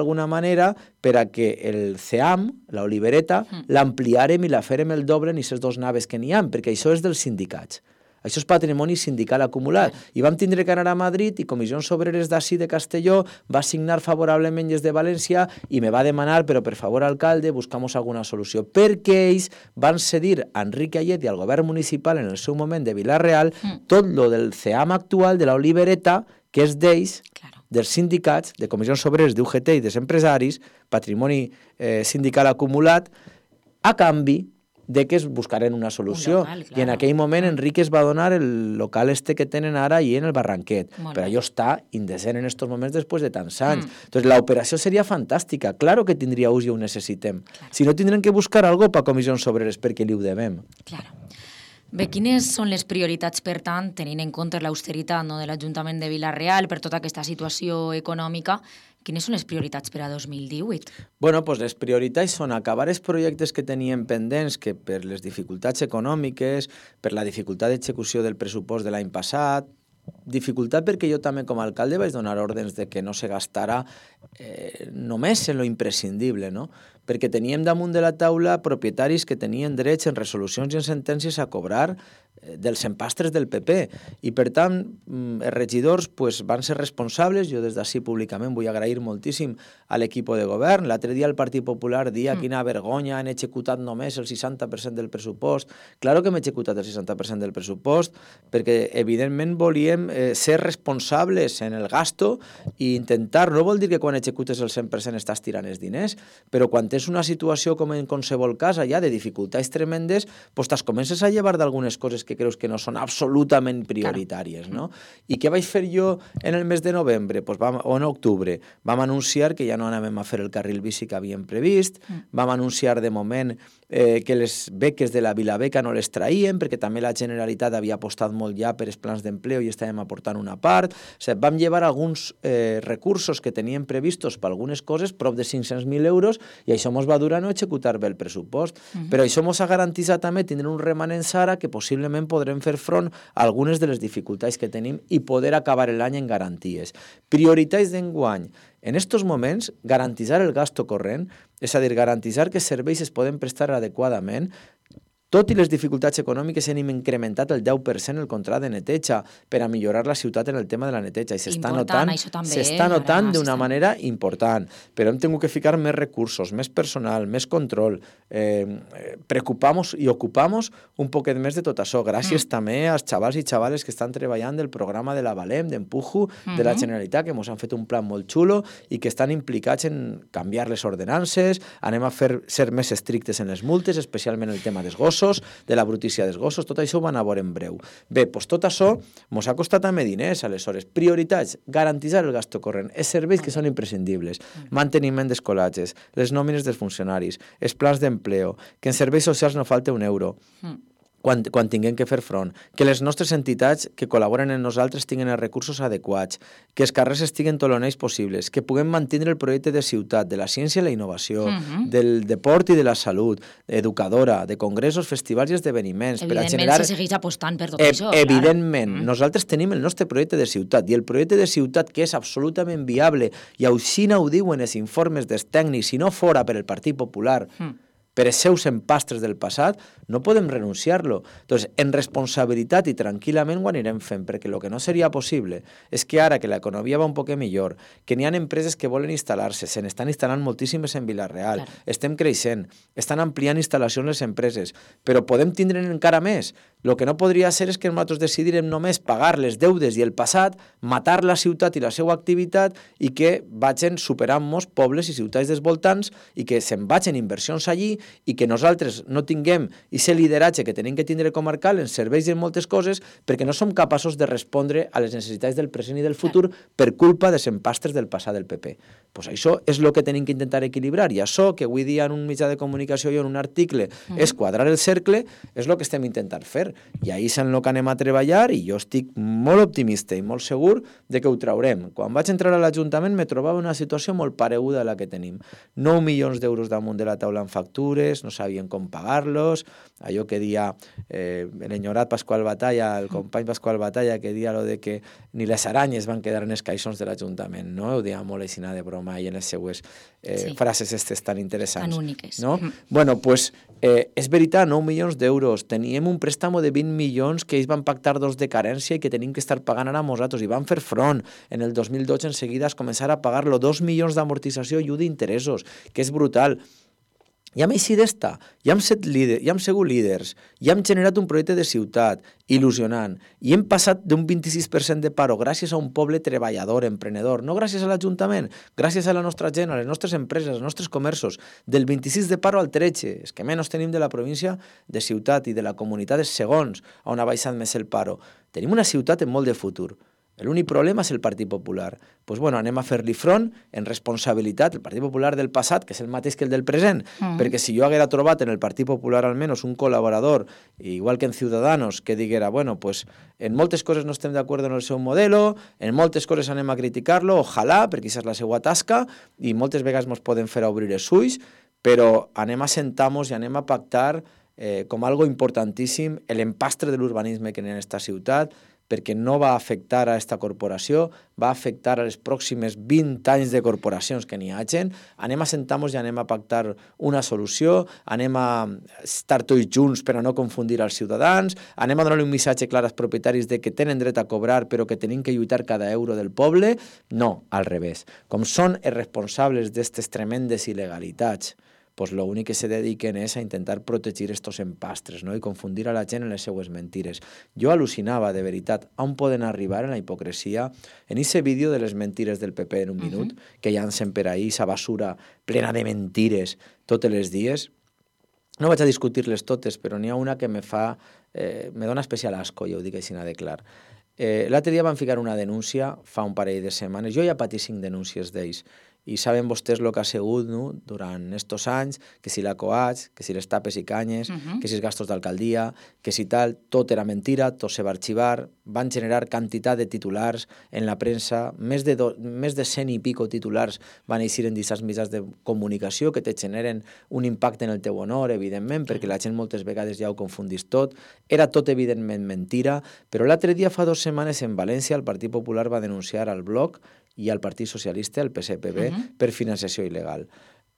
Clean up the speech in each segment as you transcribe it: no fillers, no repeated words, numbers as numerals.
d'alguna manera per a que el CEAM, l'Olivereta, l'ampliarem i la farem el doble en aquestes 2 naves que n'hi ha, perquè això és dels sindicats. Això és patrimoni sindical acumulat. I vam tindre que anar a Madrid i Comissions Obreres d'ací de Castelló va signar favorablement des de València i me va demanar, però per favor, alcalde, buscamos alguna solució. Perquè ells van cedir a Enrique Ayet i al govern municipal en el seu moment de Vila-real tot lo del CEAM actual, de l'Olivereta, que és d'ells, dels sindicats, de Comissions Obreres, d'UGT i dels empresaris, patrimoni sindical acumulat, a canvi de que es buscaren una solució. Local, i en aquell moment Enrique es va donar el local que tenen ara i en el Barranquet. Però allò està indecent en aquests moments després de tants anys. Entonces, la operació seria fantàstica. Claro que tindria ús i ho necessitem. Si no, tindrem que buscar algo per Comissions Obreres perquè li ho devem. Claro. Bé, quines són les prioritats, per tant, tenint en compte l'austeritat de l'Ajuntament de Vila-real per tota aquesta situació econòmica? Quines són les prioritats per a 2018? Bueno, doncs les prioritats són acabar els projectes que teníem pendents, que per les dificultats econòmiques, per la dificultat d'execució del pressupost de l'any passat, dificultat perquè jo també com a alcalde vaig donar ordres de que no se gastara només en lo imprescindible, no? Perquè teníem damunt de la taula propietaris que tenien drets en resolucions i en sentències a cobrar dels empastres del PP i per tant els regidors van ser responsables. Jo des d'ací públicament vull agrair moltíssim a l'equip de govern. L'altre dia el Partit Popular dia quina vergonya, han executat només el 60% del pressupost. Claro que hem executat el 60% del pressupost perquè evidentment volíem ser responsables en el gasto i intentar, no vol dir que quan executes el 100% estàs tirant els diners, però quan tens una situació com en qualsevol cas allà de dificultats tremendes, doncs te'ls comences a llevar d'algunes coses que creus que no són absolutament prioritàries, no? I què vaig fer jo en el mes de novembre? O en octubre? Vam anunciar que ja no anàvem a fer el carril bici que havíem previst, vam anunciar de moment que les beques de la Vilabeca no les traïem, perquè també la Generalitat havia apostat molt ja per els plans d'empleo i estàvem aportant una part. O sigui, vam llevar alguns recursos que teníem previstos per algunes coses, prop de 500.000 euros, i això ens va dur a no executar bé el pressupost. Però això ens ha garantit també tindre un remanents ara que possiblement podrem fer front a algunes de les dificultats que tenim i poder acabar l'any en garanties. Prioritats d'enguany. En aquests moments, garantitzar el gasto corrent, és a dir, garantitzar que els serveis es poden prestar adequadament. Tot i les dificultats econòmiques hem incrementat el 10% el contracte de neteja per a millorar la ciutat en el tema de la neteja i s'està notant d'una manera important, però hem tingut que ficar més recursos, més personal, més control, preocupamos i ocupamos un poquet més de tot això, gràcies també als xavals i xavales que estan treballant del programa de la Valem, d'Empujo, de la Generalitat, que ens han fet un plan molt xulo i que estan implicats en canviar les ordenances, anem a ser més estrictes en les multes, especialment el tema dels gossos, de la brutícia dels gossos, tot això ho van a veure en breu. Bé, doncs tot això ens ha costat també diners, aleshores. Prioritats, garantitzar el gasto corrent, els serveis que són imprescindibles, manteniment d'escolatges, les nòmines dels funcionaris, els plans d'empleo, que en serveis socials no falta un euro. Quan tinguem que fer front, que les nostres entitats que col·laboren en nosaltres tinguin els recursos adequats, que els carrers estiguen tot l'onells possibles, que puguem mantenir el projecte de ciutat, de la ciència i la innovació, del deport i de la salut, educadora, de congressos, festivals i esdeveniments. Evidentment, se segueix apostant per tot això. Evidentment, nosaltres tenim el nostre projecte de ciutat i el projecte de ciutat que és absolutament viable i així ho diuen els informes dels tècnics, si no fora per el Partit Popular, per els seus empastres del passat, no podem renunciar-lo. Doncs, en responsabilitat i tranquil·lament ho anirem fent, perquè el que no seria possible és que ara que l'economia va un poc millor, que n'hi ha empreses que volen instal·lar-se, se n'estan instal·lant moltíssimes en Vila-real, estem creixent, estan ampliant instal·lacions les empreses, però podem tindre encara més. El que no podria ser és que nosaltres decidirem només pagar les deudes i el passat, matar la ciutat i la seva activitat i que vagin superant-nos pobles i ciutats dels voltants i que se'n vagin inversions allí i que nosaltres no tinguem aquest lideratge que tenim que tindre comarcal en serveis i en moltes coses perquè no som capaços de respondre a les necessitats del present i del futur per culpa dels empastres del passat del PP. Pues això és el que tenim que intentar equilibrar i això que avui dia en un mitjà de comunicació i en un article és quadrar el cercle és el que estem intentant fer. fer, i ahir és en el que anem a treballar, i jo estic molt optimista i molt segur de que ho traurem. Quan vaig entrar a l'Ajuntament me trobava una situació molt pareguda a la que tenim. 9 milions d'euros damunt de la taula en factures, no sabien com pagar-los, allò que dia l'enyorat Pasqual Batalla, el company Pasqual Batalla, que dia lo de que ni les aranyes van quedar en els caixons de l'Ajuntament, no? Ho deia molt així de broma i en les seues frases estes tan interessants. Tan úniques. No? Bueno, pues, és veritat, 9 milions d'euros. Teníem un préstamo de 20 milions que ells van pactar 2 de carència i que tenim que estar pagant ara nosaltres. I van fer front. En el 2012 en seguida es començar a pagar-lo 2 milions d'amortització i 1 d'interessos, que és brutal. I hem eixit d'esta, ja hem sigut líders, ja hem generat un projecte de ciutat il·lusionant i hem passat d'un 26% de paro gràcies a un poble treballador, emprenedor, no gràcies a l'Ajuntament, gràcies a la nostra gent, a les nostres empreses, als nostres comerços, del 26 de paro al 13, és que menys tenim de la província de ciutat i de la comunitat és segons on ha baixat més el paro. Tenim una ciutat amb molt de futur. L'únic problema és el Partit Popular. Doncs bueno, anem a fer-li front en responsabilitat, el Partit Popular del passat, que és el mateix que el del present, perquè si jo haguera trobat en el Partit Popular almenys un col·laborador, igual que en Ciudadanos, que diguera, bueno, pues en moltes coses no estem d'acord en el seu modelo, en moltes coses anem a criticar-lo, ojalà, perquè això és la seva tasca, i moltes vegades ens poden fer obrir els ulls, però anem a sentar-nos i anem a pactar com algo importantíssim l'empastre de l'urbanisme que hi ha en aquesta ciutat, perquè no va afectar a aquesta corporació, va afectar a les pròximes 20 anys de corporacions que n'hi hagin. Anem a sentar-nos i anem a pactar una solució, anem a estar tots junts per a no confundir els ciutadans, anem a donar un missatge clar als propietaris de que tenen dret a cobrar però que tenim que lluitar cada euro del poble. No, al revés. Com són els responsables d'aquestes tremendes il·legalitats, pues l'únic que se dediquen és a intentar protegir estos empastres, no? I confundir a la gent en les seues mentires. Jo al·lucinava, de veritat, on poden arribar en la hipocresia, en aquest vídeo de les mentires del PP en un minut, que llancen per ahí, esa basura plena de mentires tots els dies. No vaig a discutir-les totes, però n'hi ha una que me dona especial asco, jo ho dic així de clar. L'altre dia van ficar una denúncia, fa un parell de setmanes, jo ja patí 5 denúncies d'ells, i saben vostès el que ha sigut, no? Durant estos anys, que si la coats, que si les tapes i canyes, que si els gastos d'alcaldia, que si tal, tot era mentira, tot se va arxivar, van generar quantitat de titulars en la premsa, més de 100 i pico titulars van eixir en aquests mitjans de comunicació que te generen un impacte en el teu honor, evidentment, perquè la gent moltes vegades ja ho confundís tot. Era tot evidentment mentira, però l'altre dia, fa 2 setmanes, en València, el Partit Popular va denunciar al Bloc i al Partit Socialista, el PSPB, per financiació il·legal.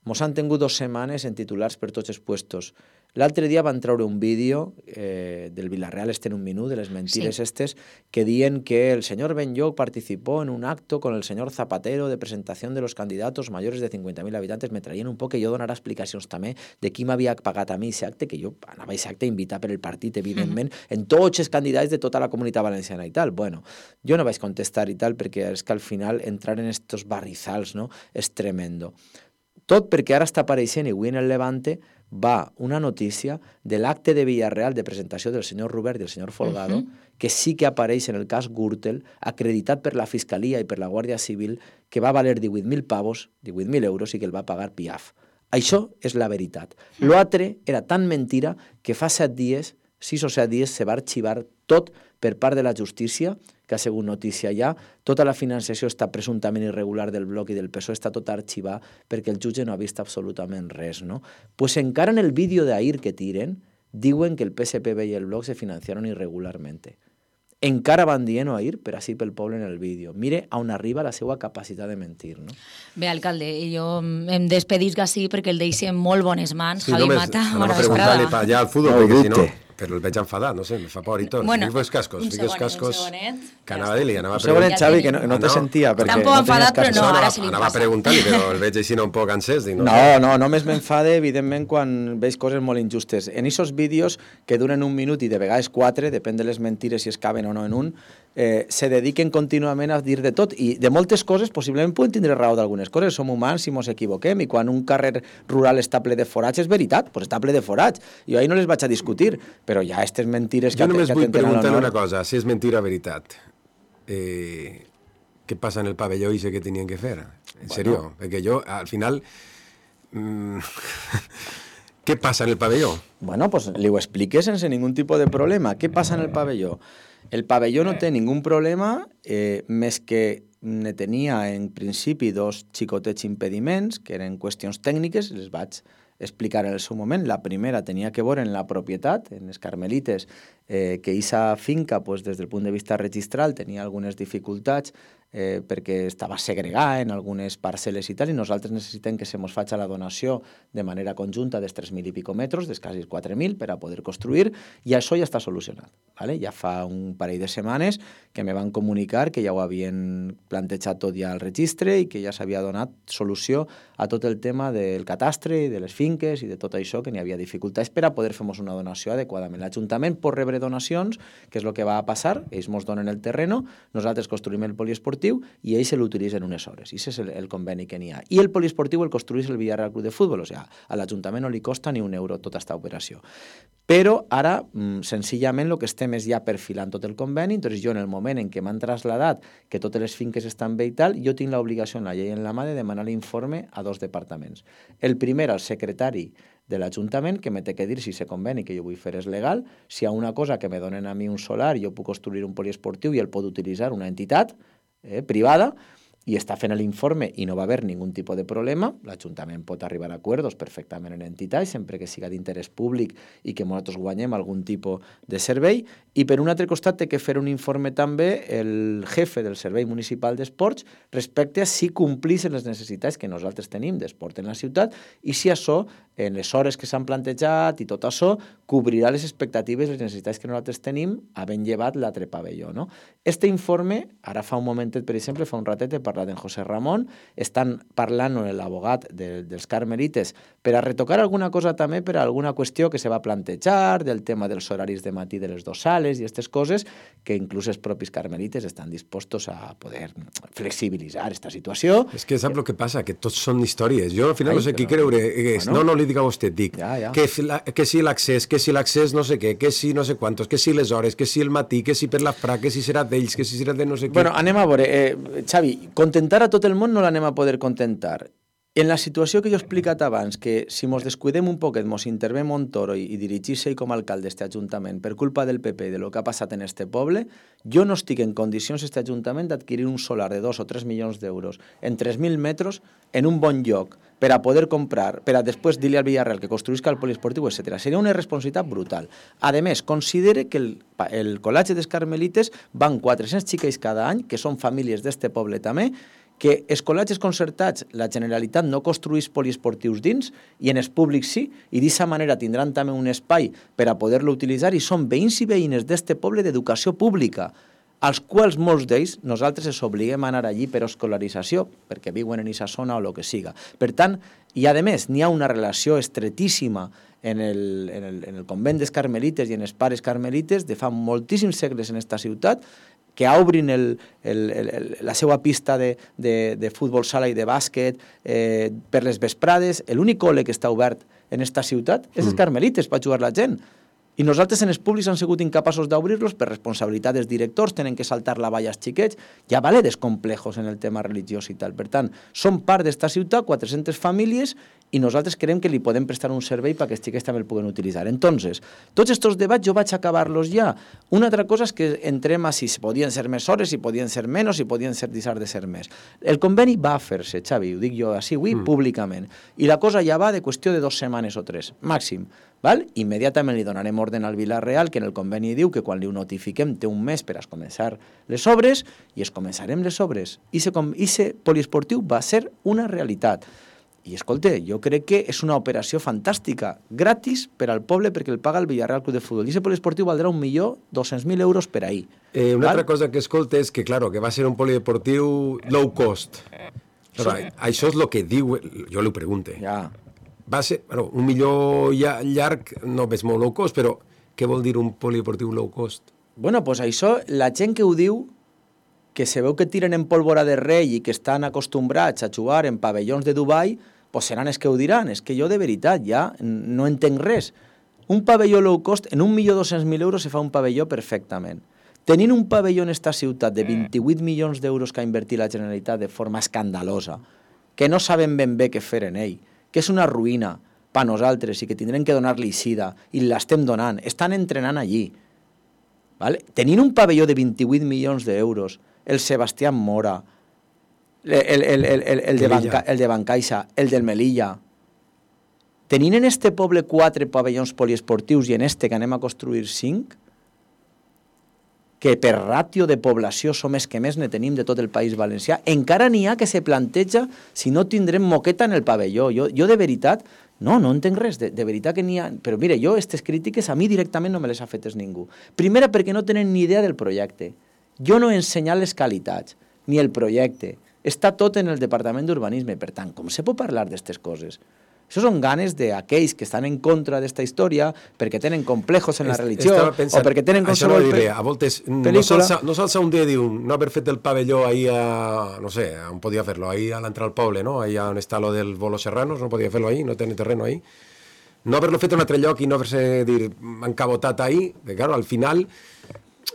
Mos han tingut 2 setmanes en titulars per tots els puestos. L'altre dia van treure un vídeo del Villarreal en un minut, de les mentires estes, que diuen que el senyor Benlloch participó en un acto con el señor Zapatero de presentación de los candidatos mayores de 50.000 habitantes. Me traien un poc que jo donarà explicacions també de qui m'havia pagat a mi aquest acte, que jo anava a aquest acte invitat per el partit, evidentment, en tots els candidats de tota la comunitat valenciana i tal. Bueno, jo no vaig contestar i tal, perquè és que al final entrar en estos barrizals, no?, és tremendo. Tot perquè ara està apareixent, i avui en el Levante va una notícia de l'acte de Villarreal de presentació del senyor Robert i el senyor Folgado, que sí que apareix en el cas Gürtel, acreditat per la Fiscalia i per la Guàrdia Civil, que va valer 18.000 pavos, 18.000 euros, i que el va pagar Piaf. Això és la veritat. L'altre era tan mentira que fa 7 dies, 6 o 7 dies, se va arxivar tot per part de la justícia, que ha sigut notícia ja. Tota la financiació està presumptament irregular del Bloc i del PSOE, està tot arxivat perquè el jutge no ha vist absolutament res, no? Pues encara en el vídeo d'ahir que tiren, diuen que el PSPB i el Bloc se financiaron irregularmente. Encara van dient ahir, per així pel poble en el vídeo. Mire on arriba la seva capacitat de mentir, no? Bé, alcalde, jo em despedisc així perquè el deixem molt bones mans. Sí, Javi només Mata, anava bona a preguntar-li vesprada. allà al futbol, perquè si no... Però el veig enfadat, no sé, me fa por i tot. Bueno, fiques cascos, un segonet. Que anava a dir-li, anava a Un segonet, preguntar... Xavi, que no te sentia. Està un poc enfadat, però no, ara se li anava a passa. preguntar-li, però el veig així un poc encès. No, només m'enfade, evidentment, quan veig coses molt injustes. En aquests vídeos, que duren 1 minut i de vegades 4, depèn de les mentires si es caben o no en un, se dediquen contínuament a dir de tot, i de moltes coses possiblement poden tindre raó d'algunes coses, som humans i mos equivoquem, i quan un carrer rural està ple de forats, és veritat, doncs està ple de forats. Jo ahir no les vaig a discutir, però ja aquestes mentires que jo només vull preguntar-li una cosa. cosa, si és mentira o veritat. Què passa en el pavelló ese que tenien que fer? En serio, perquè jo, al final... Què passa en el pavelló? Bueno, pues li ho expliqué sense ningú tipus de problema. Què passa en el pavelló? El pavelló no té ningú problema, més que ne tenia en principi 2 xicotets impediments, que eren qüestions tècniques, les vaig explicar en el seu moment. La primera tenia que veure en la propietat, en les Carmelites, que aquesta finca, pues, des del punt de vista registral, tenia algunes dificultats perquè estava segregada en algunes parcel·les i tal, i nosaltres necessitem que se mos faci la donació de manera conjunta dels 3.000 i pico metres, dels quasi 4.000, per a poder construir, i això ja està solucionat. ¿Vale? Ja fa un parell de setmanes que me van comunicar que ja ho havien plantejat tot ja al registre i que ja s'havia donat solució a tot el tema del catastre, de les finques i de tot això, que n'hi havia dificultats per a poder fer-nos una donació adequadament. L'Ajuntament pot rebre donacions, que és el que va a passar, ells ens donen el terreno, nosaltres construïm el poliesportiu i ells se l'utilitzen unes hores. I aquest és el conveni que n'hi ha. I el poliesportiu el construeix el Villarreal Club de Futbol, o sigui, a l'Ajuntament no li costa ni un euro tota aquesta operació. Però ara, senzillament, el que estem és ja perfilant tot el conveni, doncs jo en el moment en què m'han trasladat que totes les finques estan bé i tal, jo tinc l'obligació en la llei en la mà de demanar l'informe a 2 departaments. El primer, al secretari de l'Ajuntament, que me té que dir si aquest conveni que jo vull fer és legal, si hi ha una cosa que me donen a mi un solar, jo puc construir un poliesportiu i el pot utilitzar una entitat privada, i està fent l'informe i no va haver ningú tipus de problema, l'Ajuntament pot arribar a acords perfectament en entitats, sempre que siga d'interès públic i que nosaltres guanyem algun tipus de servei, i per un altre costat té que fer un informe també el jefe del Servei Municipal d'Esports respecte a si complixen les necessitats que nosaltres tenim d'esport en la ciutat i si això, en les hores que s'han plantejat i tot això, cobrirà les expectatives i les necessitats que nosaltres tenim havent llevat l'altre pavelló. No? Este informe, ara fa un momentet, per exemple, fa un ratet he parlat en José Ramon, estan parlant amb l'abogat dels Carmelites per a retocar alguna cosa també per a alguna qüestió que se va plantejar, del tema dels horaris de matí de les 2 sales i aquestes coses que inclús els propis Carmelites estan dispostos a poder flexibilitzar aquesta situació. És que sap el que passa, que tots són històries. Jo al final no sé qui creure. No li dic a vostè, dic. Que si l'accés no sé què, que si no sé quantos, que si les hores, que si el matí, que si per la fra, que si serà d'ells, que si serà de no sé què. Bueno, anem a veure. Xavi, contentar a tot el món no l'anem a poder contentar. En la situació que jo he explicat abans, que si mos descuidem un poquet, mos intervé Montoro i dirigir-se com a alcalde d'este Ajuntament per culpa del PP i de lo que ha passat en este poble, jo no estic en condicions, este Ajuntament, d'adquirir un solar de 2 o 3 milions d'euros en 3.000 metres en un bon lloc per a poder comprar, per a després dir-li al Villarreal que construïsca el poliesportiu, etc. Seria una irresponsabilitat brutal. A més, considere que el col·legi dels Carmelites van 400 xiquets cada any, que són famílies d'este poble també, que els col·legis concertats, la Generalitat no construeix poliesportius dins i en els públics sí, i d'aquesta manera tindran també un espai per a poder-lo utilitzar i són veïns i veïnes d'este poble d'educació pública, als quals molts d'ells nosaltres els obliguem a anar allí per escolarització, perquè viuen en aquesta zona o el que siga. Per tant, i a més, n'hi ha una relació estretíssima en el convent dels Carmelites i en els pares Carmelites de fa moltíssims segles en aquesta ciutat, que obrin la seva pista de futbol sala i de bàsquet per les vesprades. L'únic col·le que està obert en aquesta ciutat és els Carmelites per jugar la gent. I nosaltres en els públics han sigut incapaços d'obrir-los per responsabilitat dels directors, tenen que saltar la valla als xiquets, ja vale descomplejos en el tema religiós i tal. Per tant, som part d'esta ciutat, 400 famílies, i nosaltres creiem que li podem prestar un servei perquè els xiquets també el puguen utilitzar. Entonces, tots aquests debats jo vaig acabar-los ja. Una altra cosa és que entrem a si podien ser més hores, si podien ser menys, si podien deixar de ser més. El conveni va fer-se, Xavi, ho dic jo així avui públicament, i la cosa ja va de qüestió de 2 setmanes o 3, màxim. Val? Immediatament li donarem ordre al Villarreal, que en el conveni diu que quan li ho notifiquem té un mes per a començar les obres, i es començarem les obres. I aquest poliesportiu va ser una realitat. I escolta, jo crec que és una operació fantàstica, gratis per al poble perquè el paga el Villarreal Club de Futbol. I aquest poliesportiu valdrà 1.200.000 euros per ahir. Una altra cosa que escolta és que, claro, que va ser un poliesportiu low cost. Però això és el que diu, jo li ho pregunto. Ja. Va ser, bueno, un millor llarg no és molt low cost, però què vol dir un poliesportiu low cost? Bueno, doncs això, la gent que ho diu, que se veu que tiren en pólvora de rei i que estan acostumbrats a jugar en pavellons de Dubai, doncs seran els que ho diran. És que jo de veritat ja no entenc res. Un pavelló low cost, en 1.200.000 euros se fa un pavelló perfectament. Tenint un pavelló en esta ciutat de 28 milions d'euros que ha invertit la Generalitat de forma escandalosa, que no saben ben bé què fer en ell, que és una ruïna, per nosaltres i que tindrem que donar-li sida, i l'estem donant, estan entrenant allí. Vale? Tenint un pavelló de 28 milions d'euros, el Sebastián Mora, el de Bancaixa, el del Melilla, tenint en este poble 4 pavellons poliesportius i en este que anem a construir 5, que per ràtio de població som els que més ne tenim de tot el País Valencià, encara n'hi ha que se planteja si no tindrem moqueta en el pavelló. Jo de veritat, no entenc res, de veritat que n'hi ha... Però mira, jo aquestes crítiques a mi directament no me les ha fetes ningú. Primera, perquè no tenen ni idea del projecte. Jo no he ensenyat les qualitats, ni el projecte. Està tot en el Departament d'Urbanisme. Per tant, com se pot parlar d'aquestes coses? Això són ganes d'aquells que estan en contra d'esta història perquè tenen complejos en la religió o perquè tenen qualsevol a voltes no s'alça un dia i diu no haver fet el pavelló ahí a, no sé, on podia fer-lo, ahí a l'entrada al poble, no? Ahí on està lo del Bolo Serranos, no podia fer-lo ahí, no tenen terreno ahí. No haver-lo fet en un altre lloc i no haver-se encabotat ahí, que claro, al final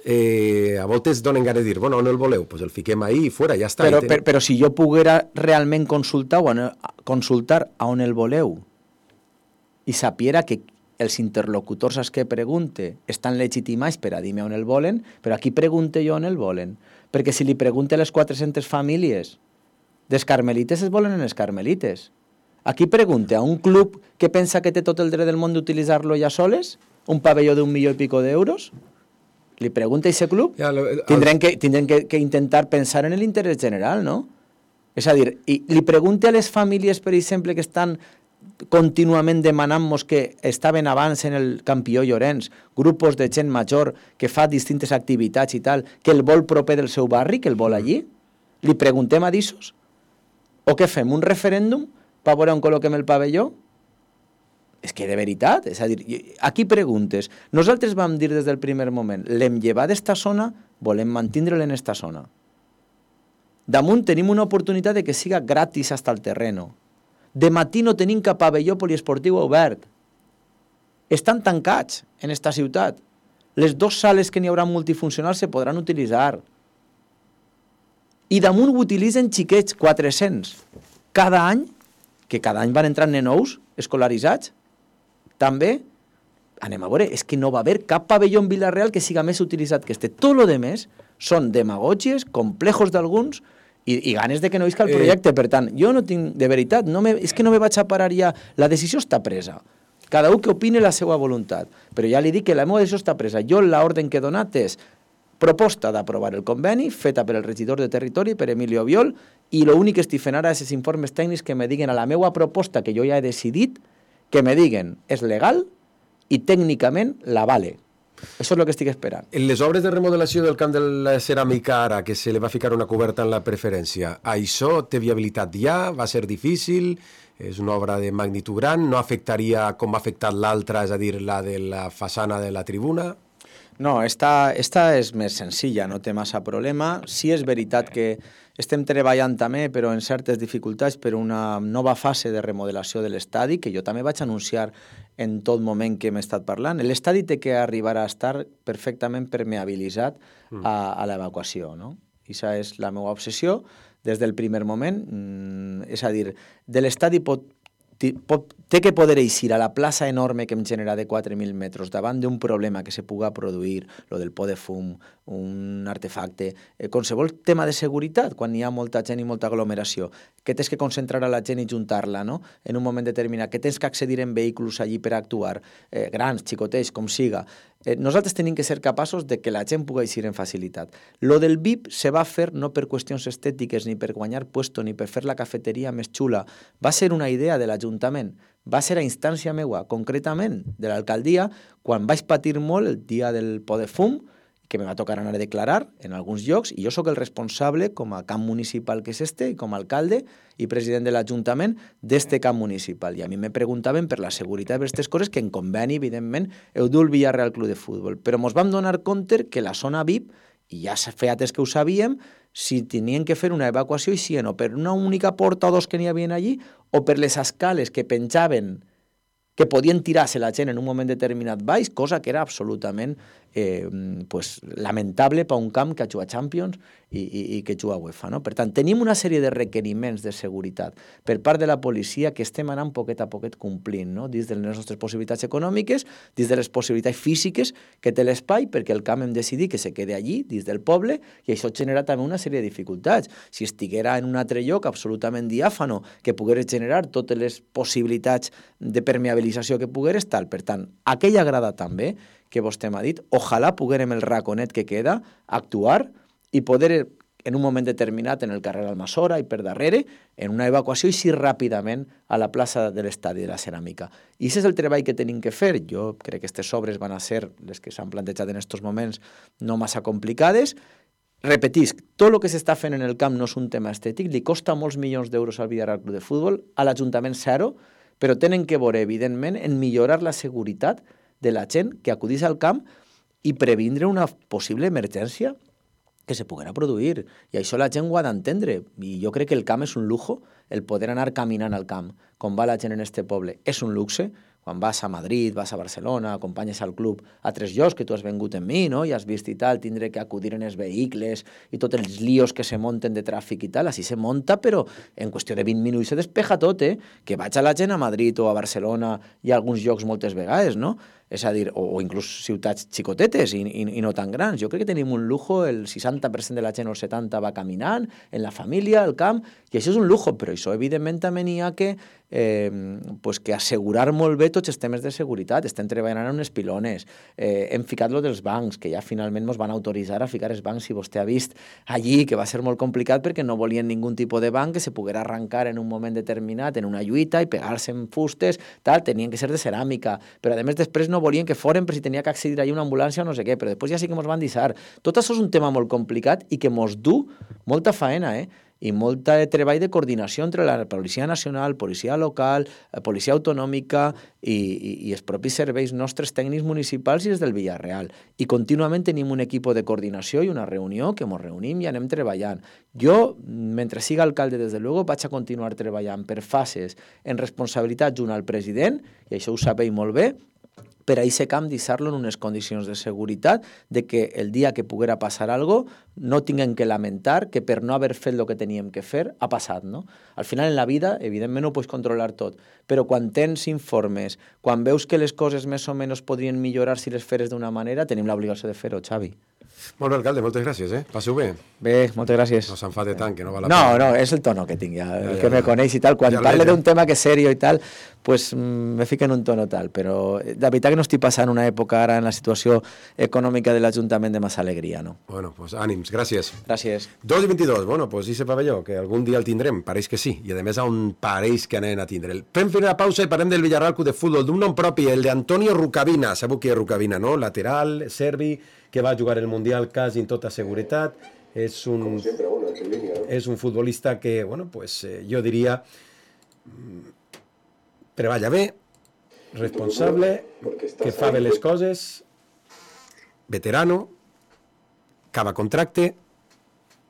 a voltes donen ganes de dir, bueno, on el voleu? Pues el fiquem ahí i fora, ja està. Però si jo poguera realment consultar a on el voleu i sapiera que els interlocutors als que pregunte estan legitimats per a dir-me on el volen, però aquí pregunte jo on el volen. Perquè si li pregunte a les 400 famílies dels carmelites, es volen en els carmelites. Aquí pregunte a un club que pensa que té tot el dret del món d'utilitzar-lo ja soles, un pavelló d'1 milió i pico d'euros, li pregunta a aquest club, tindrem que intentar pensar en l'interès general, no? És a dir, i li pregunta a les famílies, per exemple, que estan contínuament demanant-nos que estaven abans en el Campió Llorenç, grupos de gent major que fa distintes activitats i tal, que el vol proper del seu barri, que el vol allí? Li preguntem a d'issos? O què fem, un referèndum per veure on col·loquem el pavelló? És que de veritat, és a dir, aquí preguntes. Nosaltres vam dir des del primer moment, l'hem llevat d'esta zona, volem mantindre'l en esta zona. Damunt tenim una oportunitat de que siga gratis hasta el terreno. De matí no tenim cap pavelló poliesportiu obert. Estan tancats en esta ciutat. Les 2 sales que n'hi haurà multifuncionals se podran utilitzar. I damunt ho utilitzen xiquets, 400. Cada any, que cada any van entrar nenous escolaritzats, també, anem a veure, és que no va haver cap pavelló en Vila-real que siga més utilitzat que este. Tot lo demés són demagògies, complejos d'alguns i ganes de que no visca el projecte. Per tant, jo no tinc, de veritat, és que no me vaig a parar ja. La decisió està presa. Cada un que opine la seva voluntat. Però ja li dic que la meva decisió està presa. Jo l'ordre que he donat és proposta d'aprovar el conveni, feta per el regidor de Territori, per Emilio Biol, i l'únic que estic fent ara és els informes tècnics que me diguen a la meva proposta, que jo ja he decidit, que me diguen és legal i tècnicament la vale. Això és el que estic esperant. En les obres de remodelació del camp de la ceràmica ara, que se li va ficar una coberta en la preferència, això té viabilitat ja? Va ser difícil? És una obra de magnitud gran? No afectaria com ha afectat l'altra, és a dir, la de la façana de la tribuna? No, esta és més senzilla, no té massa problema. Sí és veritat que estem treballant també, però en certes dificultats, per una nova fase de remodelació de l'estadi, que jo també vaig anunciar en tot moment que hem estat parlant. L'estadi té que arribar a estar perfectament permeabilitzat a l'evacuació, no? Aquesta és la meva obsessió des del primer moment. És a dir, de l'estadi té que poder eixir a la plaça enorme que em genera de 4.000 metres davant d'un problema que se puga produir, lo del por de fum, un artefacte, qualsevol tema de seguretat, quan hi ha molta gent i molta aglomeració, que tens que concentrar a la gent i juntar-la, no?, en un moment determinat, que tens que accedir en vehicles allí per actuar, grans, xicotets, com siga. Nosaltres tenim que ser capaços de que la gent pugui eixir en facilitat. Lo del VIP se va fer no per qüestions estètiques, ni per guanyar puesto, ni per fer la cafeteria més xula. Va ser una idea de l'Ajuntament. Va ser a instància meua, concretament de l'alcaldia, quan vaig patir molt el dia del por de fum, que me va tocar anar a declarar en alguns llocs, i jo sóc el responsable, com a camp municipal que és i com a alcalde i president de l'Ajuntament, d'este camp municipal. I a mi me preguntaven per la seguretat d'aquestes coses, que en conveni, evidentment, heu dut el Villarreal Club de Futbol. Però ens vam donar compte que la zona VIP, i ja feia temps que ho sabíem, si tenien que fer una evacuació i si no, per una única porta o dos que n'hi havia allí, o per les escales que penjaven que podien tirar-se la gent en un moment determinat baix, cosa que era absolutament pues, lamentable per un camp que ha jugat Champions i que juga a UEFA. No? Per tant, tenim una sèrie de requeriments de seguretat per part de la policia que estem anant poquet a poquet complint, no? Dins de les nostres possibilitats econòmiques, dins de les possibilitats físiques que té l'espai, perquè el camp hem decidit que se quede allí, dins del poble, i això genera també una sèrie de dificultats. Si estiguera en un altre lloc absolutament diàfano, que pogués generar totes les possibilitats de permeabilització que pogués tal. Per tant, aquella grada també, que vostè m'ha dit, ojalà poguérem el raconet que queda actuar i poder en un moment determinat en el carrer Almassora i per darrere, en una evacuació i sí ràpidament a la plaça de l'estadi de la Ceràmica. I aquest és el treball que tenim que fer. Jo crec que aquestes obres van a ser les que s'han plantejat en aquests moments no massa complicades. Repetisc, tot el que s'està fent en el camp no és un tema estètic, li costa molts milions d'euros al Villarreal Club de Futbol, a l'Ajuntament zero, però tenen que veure, evidentment, en millorar la seguretat de la gent que acudís al camp i previndre una possible emergència que se poguera produir. I això la gent ho ha d'entendre. I jo crec que el camp és un lujo, el poder anar caminant al camp, com va la gent en este poble, és un luxe. Quan vas a Madrid, vas a Barcelona, acompanyes al club a 3 llocs que tu has vengut amb mi, no? I has vist i tal, tindre que acudir en els vehicles i tots els líos que se munten de tràfic i tal, així se munta, però en qüestió de 20 minuts se despeja tot, que vaig a la gent a Madrid o a Barcelona i a alguns llocs moltes vegades, no? És a dir, o inclús ciutats xicotetes i no tan grans. Jo crec que tenim un lujo, el 60% de la gent o el 70% va caminant, en la família, al camp, i això és un lujo, però això evidentment també n'hi ha que pues que assegurar molt bé tots els temes de seguretat. Estem treballant en unes pilones, hem ficat lo dels bancs, que ja finalment ens van autoritzar a ficar els bancs, si vostè ha vist allí, que va ser molt complicat perquè no volien ningun tipus de banc que se poguera arrencar en un moment determinat en una lluita i pegar-se en fustes, tal, tenien que ser de ceràmica, però a més després no volien que foren per si tenia que accedir allà una ambulància o no sé què, però després ja sí que ens van deixar. Tot això és un tema molt complicat i que ens du molta faena, i molt treball de coordinació entre la Policia Nacional, Policia Local, Policia Autonòmica i els propis serveis nostres tècnics municipals i els del Villarreal. I contínuament tenim un equip de coordinació i una reunió que ens reunim i anem treballant. Jo, mentre siga alcalde, des de luego, vaig a continuar treballant per fases en responsabilitat junt al president, i això ho sabeu molt bé, per a aquest camp deixar-lo en unes condicions de seguretat, de que el dia que poguera passar alguna cosa no tinguem que lamentar que per no haver fet el que teníem que fer ha passat, no? Al final en la vida, evidentment, no ho pots controlar tot, però quan tens informes, quan veus que les coses més o menys podrien millorar si les feres d'una manera, tenim l'obligació de fer-ho, Xavi. Molt bé, alcalde, moltes gràcies, Passeu bé. Bé, moltes gràcies. No s'enfade tant, que no val la pena. No, és el tono que tinc ja, el que me coneix i tal. Quan parle d'un tema que és serio i tal, pues me fico en un tono tal, però la veritat que no estic passant una època ara en la situació econòmica de l'Ajuntament de massa alegria, no? Bueno, pues ànims, gràcies. Gràcies. 2:22, bueno, pues ese pavelló, que algun dia el tindrem, pareix que sí, i a més on pareix que anem a tindre'l. Fem una pausa i parlem del Villarreal Club de Futbol, d'un nom propi, el d'Antonio Rucavina. Sabeu qui és Rucavina, no? Lateral, serbi, que va jugar el Mundial quasi en tota seguretat. És un futbolista que, bueno, pues jo diria, treballa bé, responsable, que fa bé les coses, veterano, acaba contracte,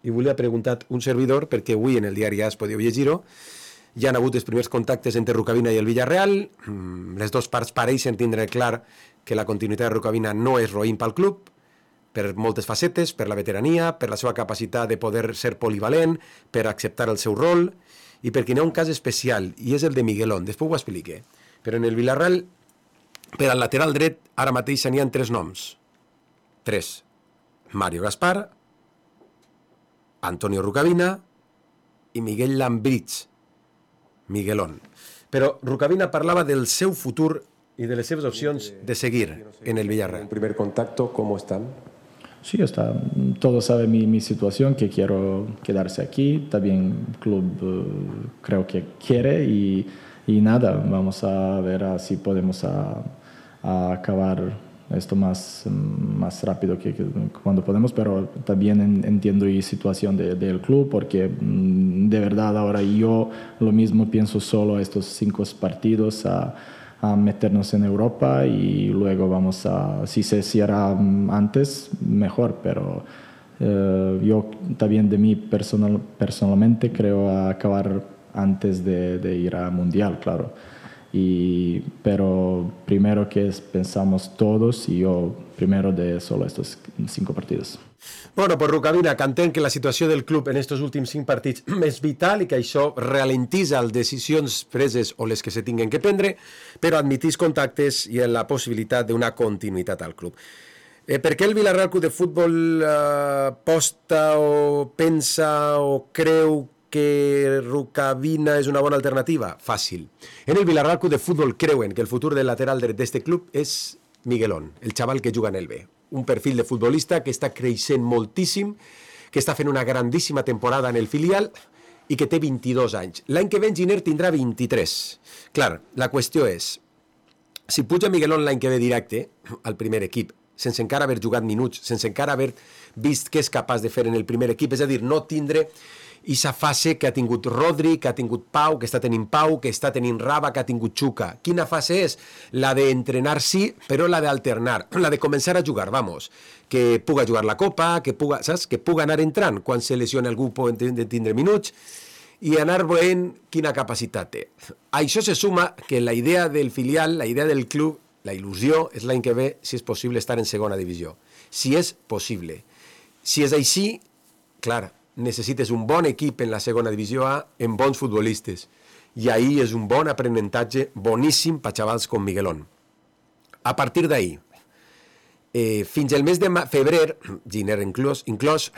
i volia preguntar un servidor, perquè avui en el diari AS podeu llegir-ho, ja han hagut els primers contactes entre Rucavina i el Villarreal, les dues parts pareixen tindre clar que la continuïtat de Rucavina no és roïn pel club, per moltes facetes, per la veterania, per la seva capacitat de poder ser polivalent, per acceptar el seu rol, i perquè hi ha un cas especial, i és el de Miguelón, després ho expliqué. Però en el Villarreal, per al lateral dret, ara mateix n'hi ha 3 noms. 3. Mario Gaspar, Antonio Rucavina i Miguel Lambrich, Miguelón. Però Rucavina parlava del seu futur y de las seves opciones de seguir en el Villarreal. ¿El primer contacto cómo están? Sí, está. Todos saben mi situación, que quiero quedarse aquí. También el club creo que quiere y nada, vamos a ver si podemos a acabar esto más rápido que cuando podemos, pero también entiendo la situación del club, porque de verdad ahora yo lo mismo pienso solo estos 5 partidos a meternos en Europa y luego vamos si se cierra antes, mejor, pero yo también de mí personalmente creo acabar antes de ir a Mundial, claro. pero primero que pensamos todos y yo primero de solo estos 5 partidos. Bueno, pues Rukavina, que entenc que la situació del club en estos últims 5 partits és vital i que això ralentitza les decisions preses o les que se tinguen que prendre, però admitís contactes i la possibilitat d'una continuïtat al club. Per què el Villarreal Club de Futbol posta o pensa o creu que Rukavina és una bona alternativa? Fàcil. En el Villarreal Club de Futbol creuen que el futur del lateral dret d'este club és Miguelón, el xaval que juga en el B. Un perfil de futbolista que està creixent moltíssim, que està fent una grandíssima temporada en el filial i que té 22 anys. L'any que ve Giner tindrà 23. Clar, la qüestió és, si puja Miguelón l'any que ve directe al primer equip, sense encara haver jugat minuts, sense encara haver vist què és capaç de fer en el primer equip, és a dir, no tindre aquesta fase que ha tingut Rodri, que ha tingut Pau, que està tenint Pau, que està tenint Raba, que ha tingut Chuka. Quina fase és? La d'entrenar sí, però la d'alternar, la de començar a jugar, vamos. Que puga jugar la Copa, que puga, saps? Que puga anar entrant quan se lesiona algú pot tindre minuts i anar veient quina capacitat té. A això se suma que la idea del filial, la idea del club, la il·lusió és l'any que ve, si és possible, estar en segona divisió. Si és possible. Si és així, clar, necessites un bon equip en la segona divisió A amb bons futbolistes. I ahí és un bon aprenentatge boníssim per xavals com Miguelón. A partir d'ahí, fins al mes de febrer, Giner inclòs,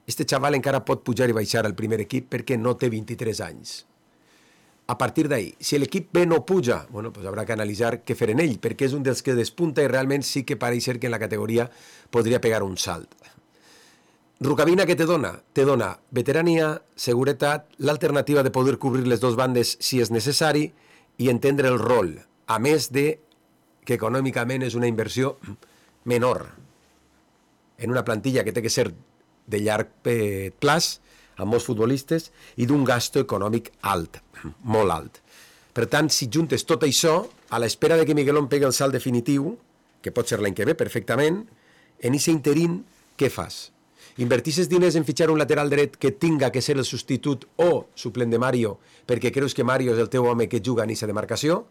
este xaval encara pot pujar i baixar al primer equip perquè no té 23 anys. A partir d'ahí, si l'equip B no puja, bueno, pues habrá que analitzar què fer en ell, perquè és un dels que despunta i realment sí que pareix ser que en la categoria podria pegar un salt. Rukavina, què te dona? Te dona veterania, seguretat, l'alternativa de poder cobrir les dues bandes si és necessari i entendre el rol, a més de que econòmicament és una inversió menor en una plantilla que té que ser de llarg plaç, amb molts futbolistes, i d'un gasto econòmic alt, molt alt. Per tant, si juntes tot això, a l'espera de que Miguelón pegui el salt definitiu, que pot ser l'any que ve perfectament, en aquest interín, què fas? Invertisses diners en fitxar un lateral dret que tinga que ser el substitut o suplent de Mario perquè creus que Mario és el teu home que juga en aquesta demarcació?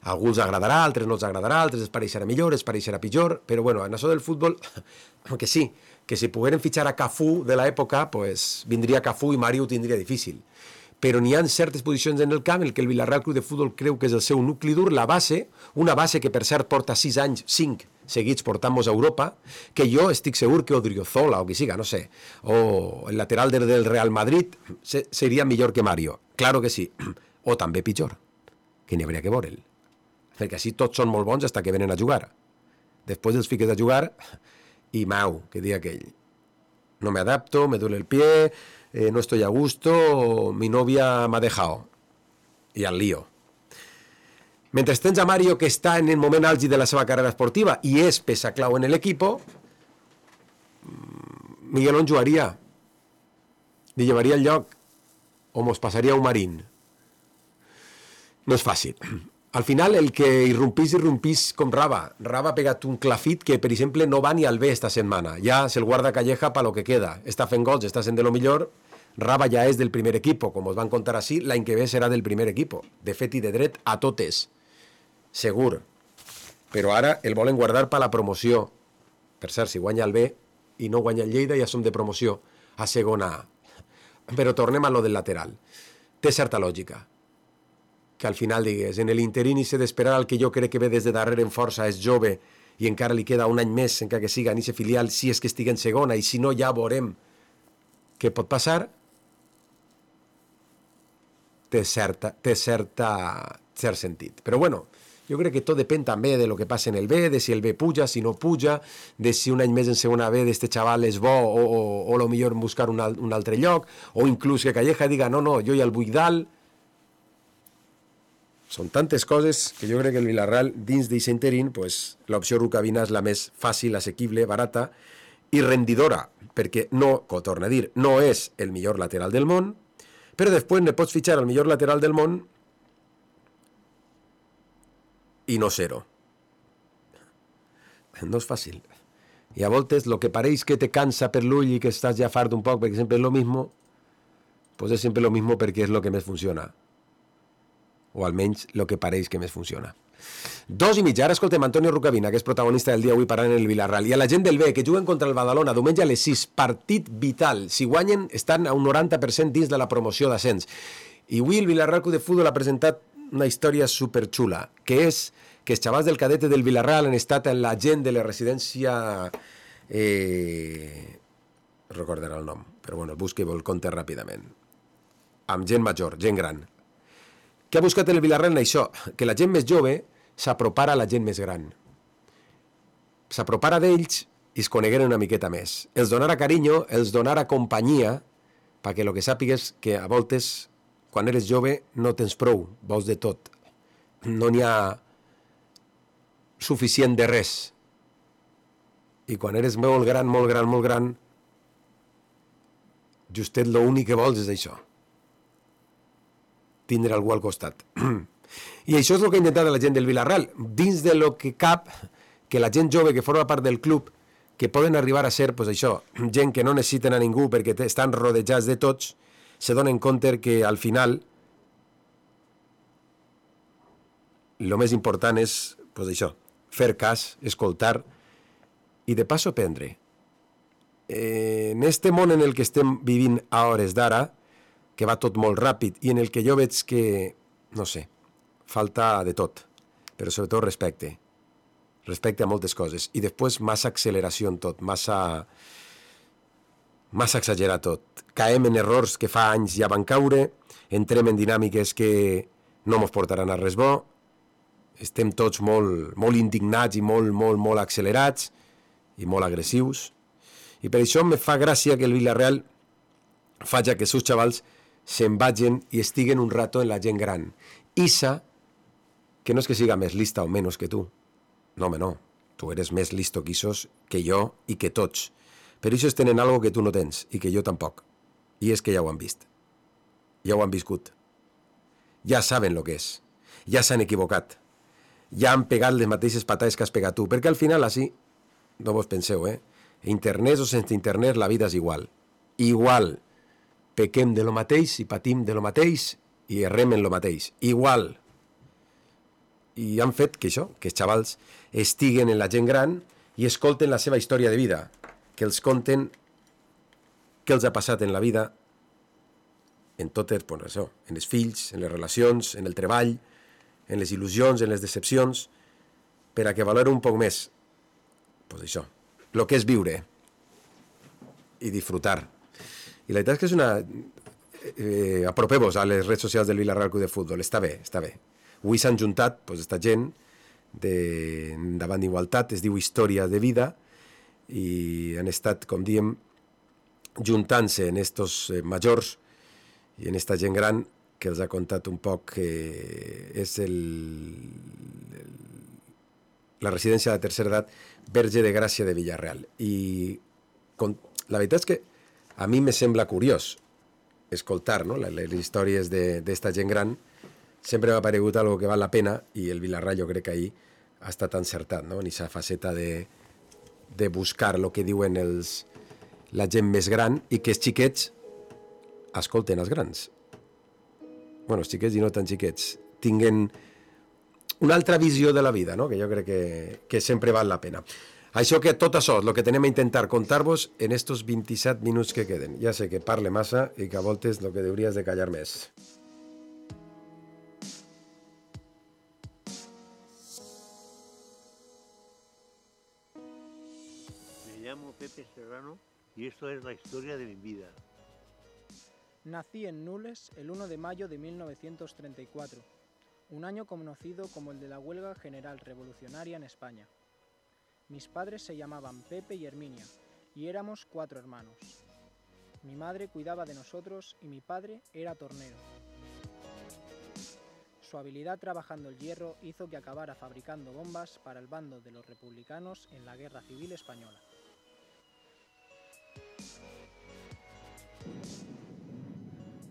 A alguns agradarà, altres no els agradarà, altres es pareixerà millor, es pareixerà pitjor, però bueno, en això del futbol, que sí, que si pogueren fitxar a Cafú de l'època, pues vindria Cafú i Mario ho tindria difícil. Però n'hi ha certes posicions en el camp en què el Villarreal Club de Futbol creu que és el seu nucli dur, la base, una base que per cert porta 6 anys, 5 seguits portant-nos a Europa, que jo estic segur que Odriozola o qui siga, no sé, o el lateral del Real Madrid seria millor que Mario. Claro que sí. O també pitjor, que n'hi hauria que veure'l. Perquè així tots són molt bons fins que venen a jugar. Després els fiques a jugar i mau, que dia aquell. No me adapto, me duele el pie, no estoy a gusto, mi novia m'ha dejado. I al lío. Mentre tens a Mario, que està en el moment àlgid de la seva carrera esportiva i és peça clau en l'equip, Miguelón jugaria, li llevaria el lloc o mos passaria un marín. No és fàcil. Al final, el que irrompís com Raba. Raba ha pegat un clafit que, per exemple, no va ni al B esta setmana. Ja se'l guarda Calleja pa lo que queda. Està fent gols, està sent de lo millor. Raba ja és del primer equip, com us van contar així, l'any que ve serà del primer equip. De fet i de dret a totes. Segur. Però ara el volen guardar per la promoció. Per cert, si guanya el B i no guanya el Lleida, ja som de promoció a segona A. Però tornem a lo del lateral. Té certa lògica. Que al final digues, en l'interín s'ha d'esperar el que jo crec que ve des de darrere en força, és jove, i encara li queda un any més, encara que siga en aquest filial, si és que estigui en segona, i si no ja veurem què pot passar. Té cert sentit. Però bueno, jo crec que tot depèn també de lo que passa en el B, de si el B puja, si no puja, de si un any més en segona B d'este xaval és bo o lo millor buscar un altre lloc, o inclús que Calleja diga, no, jo ja el vull dalt. Són tantes coses que jo crec que el Villarreal, dins d'aquest interín, pues, l'opció Rukavina és la més fàcil, assequible, barata i rendidora, perquè no, com torna a dir, no és el millor lateral del món, però després ne pots fitxar el millor lateral del món i no ser-ho. No és fàcil. I a voltes, el que pareix que te cansa per l'ull i que estàs ja fart un poc, perquè sempre és lo mismo, pues és sempre lo mismo perquè és lo que més funciona. o almenys el que pareix que més funciona. 2:30, ara escoltem Antonio Rucavina, que és protagonista del dia avui parlant en el Villarreal, i a la gent del B, que juguen contra el Badalona diumenge a les 6, partit vital. Si guanyen, estan a un 90% dins de la promoció d'ascens. I avui el Villarreal Club de Futbol ha presentat una història superxula, que és que els xavals del cadete del Villarreal han estat en la gent de la residència... recordarà el nom, però bueno, el busco i el conte ràpidament. Amb gent major, gent gran. Què ha buscat el Villarreal en això? Que la gent més jove s'apropara a la gent més gran. S'apropara d'ells i es conegueren una miqueta més. Els donara carinyo, els donara companyia, perquè el que sàpigues que a voltes, quan eres jove, no tens prou, vols de tot. No n'hi ha suficient de res. I quan eres molt gran, justet l'únic que vols és això. Tindre algú al costat. I això és el que ha intentat la gent del Villarreal. Dins de lo que cap, que la gent jove que forma part del club, que poden arribar a ser, pues això, gent que no necessiten a ningú perquè estan rodejats de tots, se donen compte que al final el més important és, pues això, fer cas, escoltar i de pas aprendre. En este món en el que estem vivint a hores d'ara, que va tot molt ràpid i en el que jo veig que, no sé, falta de tot, però sobretot respecte a moltes coses, i després massa acceleració en tot, massa exagerar tot. Caem en errors que fa anys ja van caure, entrem en dinàmiques que no mos portaran a res bo, estem tots molt indignats i molt accelerats i molt agressius, i per això me fa gràcia que el Villarreal faci que els seus xavals se'n vagin i estiguen un rato en la gent gran. Isa, que no és que siga més lista o menys que tu. No, home, no. Tu eres més listo que Isos, que jo i que tots. Però ells tenen algo que tu no tens i que jo tampoc. I és que ja ho han vist. Ja ho han viscut. Ja saben el que és. Ja s'han equivocat. Ja han pegat les mateixes patades que has pegat tu. Perquè al final, així, no vos penseu, internet o sense internet, la vida és igual. Igual. Pequem de lo mateix i patim de lo mateix i errem en lo mateix. Igual. I han fet que això, que els xavals estiguen en la gent gran i escolten la seva història de vida, que els conten què els ha passat en la vida, en totes, pues això, en els fills, en les relacions, en el treball, en les il·lusions, en les decepcions, per a que valori un poc més, pues això, el que és viure i disfrutar. I la veritat és que és una... apropeu-vos a les redes socials del Villarreal Club de Futbol, està bé, està bé. Avui s'han juntat, pues, esta gent davant d'Igualtat, es diu Història de Vida, i han estat, com diem, juntant-se en estos majors i en esta gent gran que els ha contat un poc que és la residència de tercera edat Verge de Gràcia de Villarreal. I la veritat és que a mi me sembla curiós escoltar, no, les històries d'esta gent gran. Sempre m'ha paregut algo que val la pena i el Villarreal jo crec que ahir ha estat encertat, no? En aquesta faceta de buscar el que diuen la gent més gran i que els xiquets escolten els grans. Bueno, els xiquets i no tan xiquets tinguen una altra visió de la vida, no? Que jo crec que sempre val la pena. Això que tot això és el que tenem a intentar contar-vos en estos 27 minuts que queden. Ja sé que parle massa i que a voltes el que hauries de callar més. Me llamo Pepe Serrano y esto es la historia de mi vida. Nací en Nules el 1 de mayo de 1934, un año conocido como el de la huelga general revolucionaria en España. Mis padres se llamaban Pepe y Herminia, y éramos 4 hermanos. Mi madre cuidaba de nosotros y mi padre era tornero. Su habilidad trabajando el hierro hizo que acabara fabricando bombas para el bando de los republicanos en la Guerra Civil Española.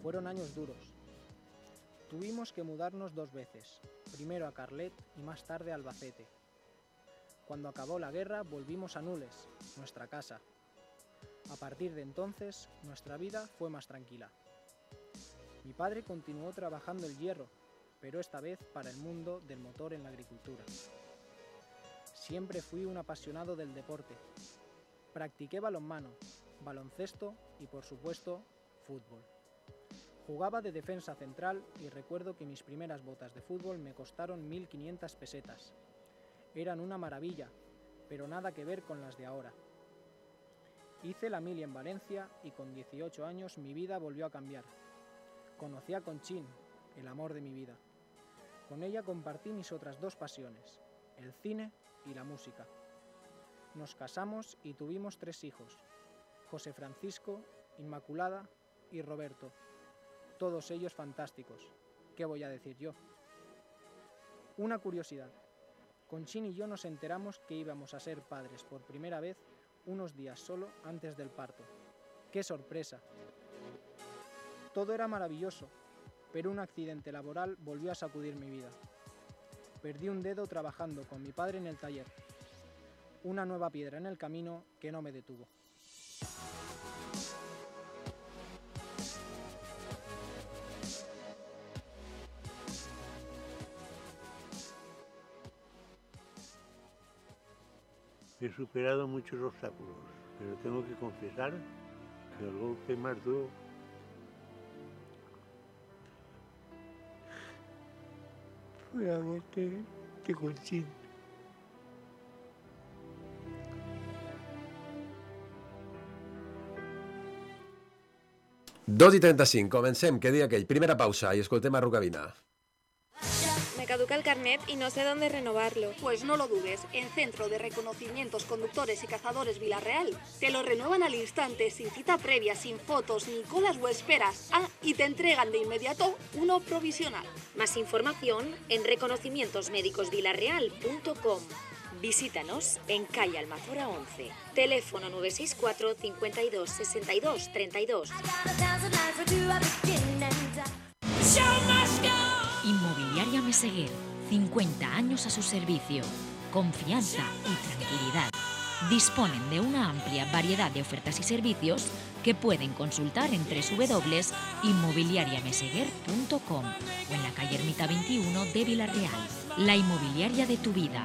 Fueron años duros. Tuvimos que mudarnos 2 veces, primero a Carlet y más tarde a Albacete. Cuando acabó la guerra volvimos a Nules, nuestra casa. A partir de entonces, nuestra vida fue más tranquila. Mi padre continuó trabajando el hierro, pero esta vez para el mundo del motor en la agricultura. Siempre fui un apasionado del deporte. Practiqué balonmano, baloncesto y, por supuesto, fútbol. Jugaba de defensa central y recuerdo que mis primeras botas de fútbol me costaron 1.500 pesetas. Eran una maravilla, pero nada que ver con las de ahora. Hice la mili en Valencia y con 18 años mi vida volvió a cambiar. Conocí a Conchín, el amor de mi vida. Con ella compartí mis otras dos pasiones, el cine y la música. Nos casamos y tuvimos 3 hijos, José Francisco, Inmaculada y Roberto. Todos ellos fantásticos. ¿Qué voy a decir yo? Una curiosidad. Conchín y yo nos enteramos que íbamos a ser padres por primera vez unos días solo antes del parto. ¡Qué sorpresa! Todo era maravilloso, pero un accidente laboral volvió a sacudir mi vida. Perdí un dedo trabajando con mi padre en el taller. Una nueva piedra en el camino que no me detuvo. He superado muchos obstáculos, pero tengo que confesar que el golpe más duro fue la muerte de Conchín. Dos i 35, comencem, que dia aquell. Primera pausa i escoltem a Rucabina. Me caduca el carnet y no sé dónde renovarlo. Pues no lo dudes, en Centro de Reconocimientos Conductores y Cazadores Villarreal te lo renuevan al instante, sin cita previa, sin fotos, ni colas o esperas. Y te entregan de inmediato uno provisional. Más información en reconocimientosmédicosvillarreal.com. Visítanos en calle Almazora 11. Teléfono 964 52 62 32. Inmobiliaria Meseguer, 50 años a su servicio, confianza y tranquilidad. Disponen de una amplia variedad de ofertas y servicios que pueden consultar en www.inmobiliariameseguer.com o en la calle Ermita 21 de Villarreal. La inmobiliaria de tu vida,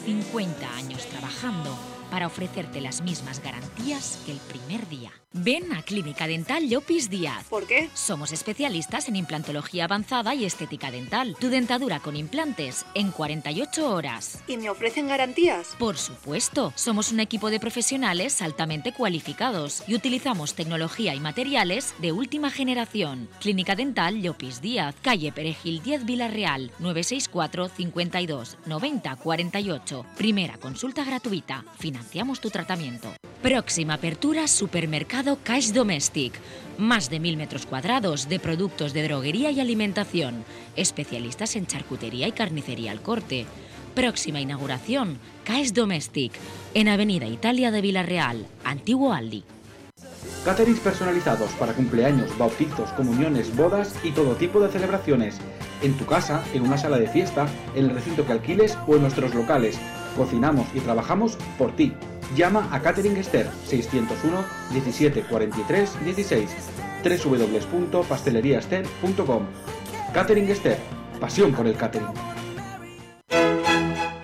50 años trabajando para ofrecerte las mismas garantías que el primer día. Ven a Clínica Dental Llopis Díaz. ¿Por qué? Somos especialistas en implantología avanzada y estética dental. Tu dentadura con implantes en 48 horas. ¿Y me ofrecen garantías? Por supuesto. Somos un equipo de profesionales altamente cualificados y utilizamos tecnología y materiales de última generación. Clínica Dental Llopis Díaz, calle Perejil 10 Villarreal, 964 52 90 48. Primera consulta gratuita. Financiamos tu tratamiento. Próxima apertura, supermercado Caix Domèstic. Más de 1000 metros cuadrados de productos de droguería y alimentación. Especialistas en charcutería y carnicería al corte. Próxima inauguración, Caix Domèstic. En Avenida Italia de Villarreal, Antiguo Aldi. Caterings personalizados para cumpleaños, bautizos, comuniones, bodas y todo tipo de celebraciones. En tu casa, en una sala de fiesta, en el recinto que alquiles o en nuestros locales. Cocinamos y trabajamos por ti. Llama a Catering Esther 601 17 43 16 www.pasteleriaester.com. Catering Esther, pasión por el catering.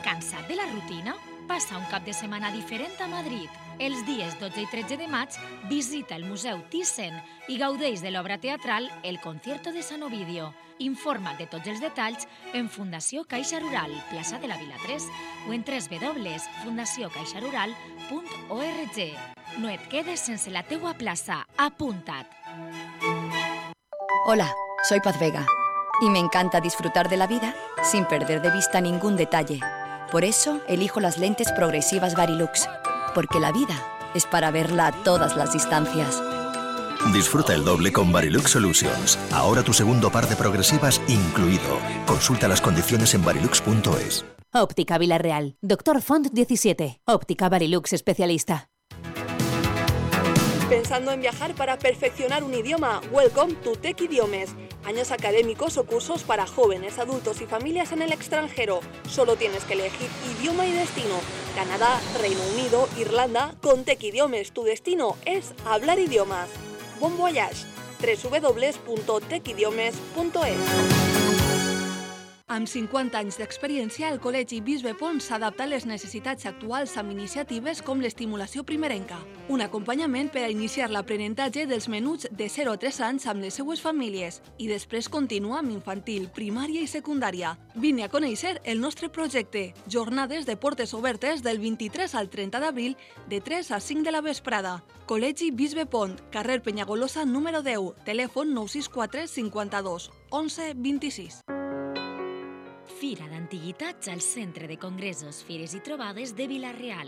Cansat de la rutina? Passa un cap de setmana diferent a Madrid. Els dies 12 i 13 de maig visita el Museu Thyssen i gaudeix de l'obra teatral El concierto de San Ovidio. Informa't de tots els detalls en Fundació Caixa Rural, plaça de la Vila 3 o en www.fundaciocaixarural.org. No et quedes sense la teua plaça. Apunta't! Hola, soy Paz Vega y me encanta disfrutar de la vida sin perder de vista ningún detalle. Por eso elijo las lentes progresivas Varilux, porque la vida es para verla a todas las distancias. Disfruta el doble con Varilux Solutions. Ahora tu segundo par de progresivas incluido. Consulta las condiciones en varilux.es. Óptica Villarreal. Dr. Font 17. Óptica Varilux especialista. ¿Pensando en viajar para perfeccionar un idioma? Welcome to Tech Idiomes. Años académicos o cursos para jóvenes, adultos y familias en el extranjero. Solo tienes que elegir idioma y destino. Canadá, Reino Unido, Irlanda. Con Tech Idiomes tu destino es hablar idiomas. Bon voyage. www.techidiomes.es. Amb 50 anys d'experiència, el Col·legi Bisbe Pont s'adapta a les necessitats actuals amb iniciatives com l'estimulació primerenca, un acompanyament per a iniciar l'aprenentatge dels menuts de 0 a 3 anys amb les seues famílies i després continua amb infantil, primària i secundària. Vine a conèixer el nostre projecte. Jornades de portes obertes del 23 al 30 d'abril de 3 a 5 de la vesprada. Col·legi Bisbe Pont, carrer Penyagolosa número 10, telèfon 964 52 11 26. Fira d'Antiguitats al Centre de Congressos, Fires i Trobades de Vila-real.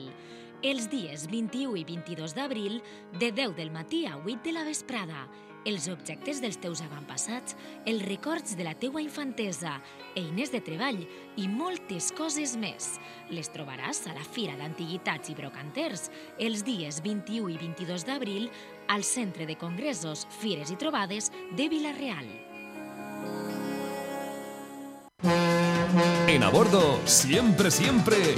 Els dies 21 i 22 d'abril, de 10 del matí a 8 de la vesprada. Els objectes dels teus avantpassats, els records de la teua infantesa, eines de treball i moltes coses més. Les trobaràs a la Fira d'Antiguitats i Brocanters els dies 21 i 22 d'abril al Centre de Congressos, Fires i Trobades de Vila-real. En A Bordo, siempre,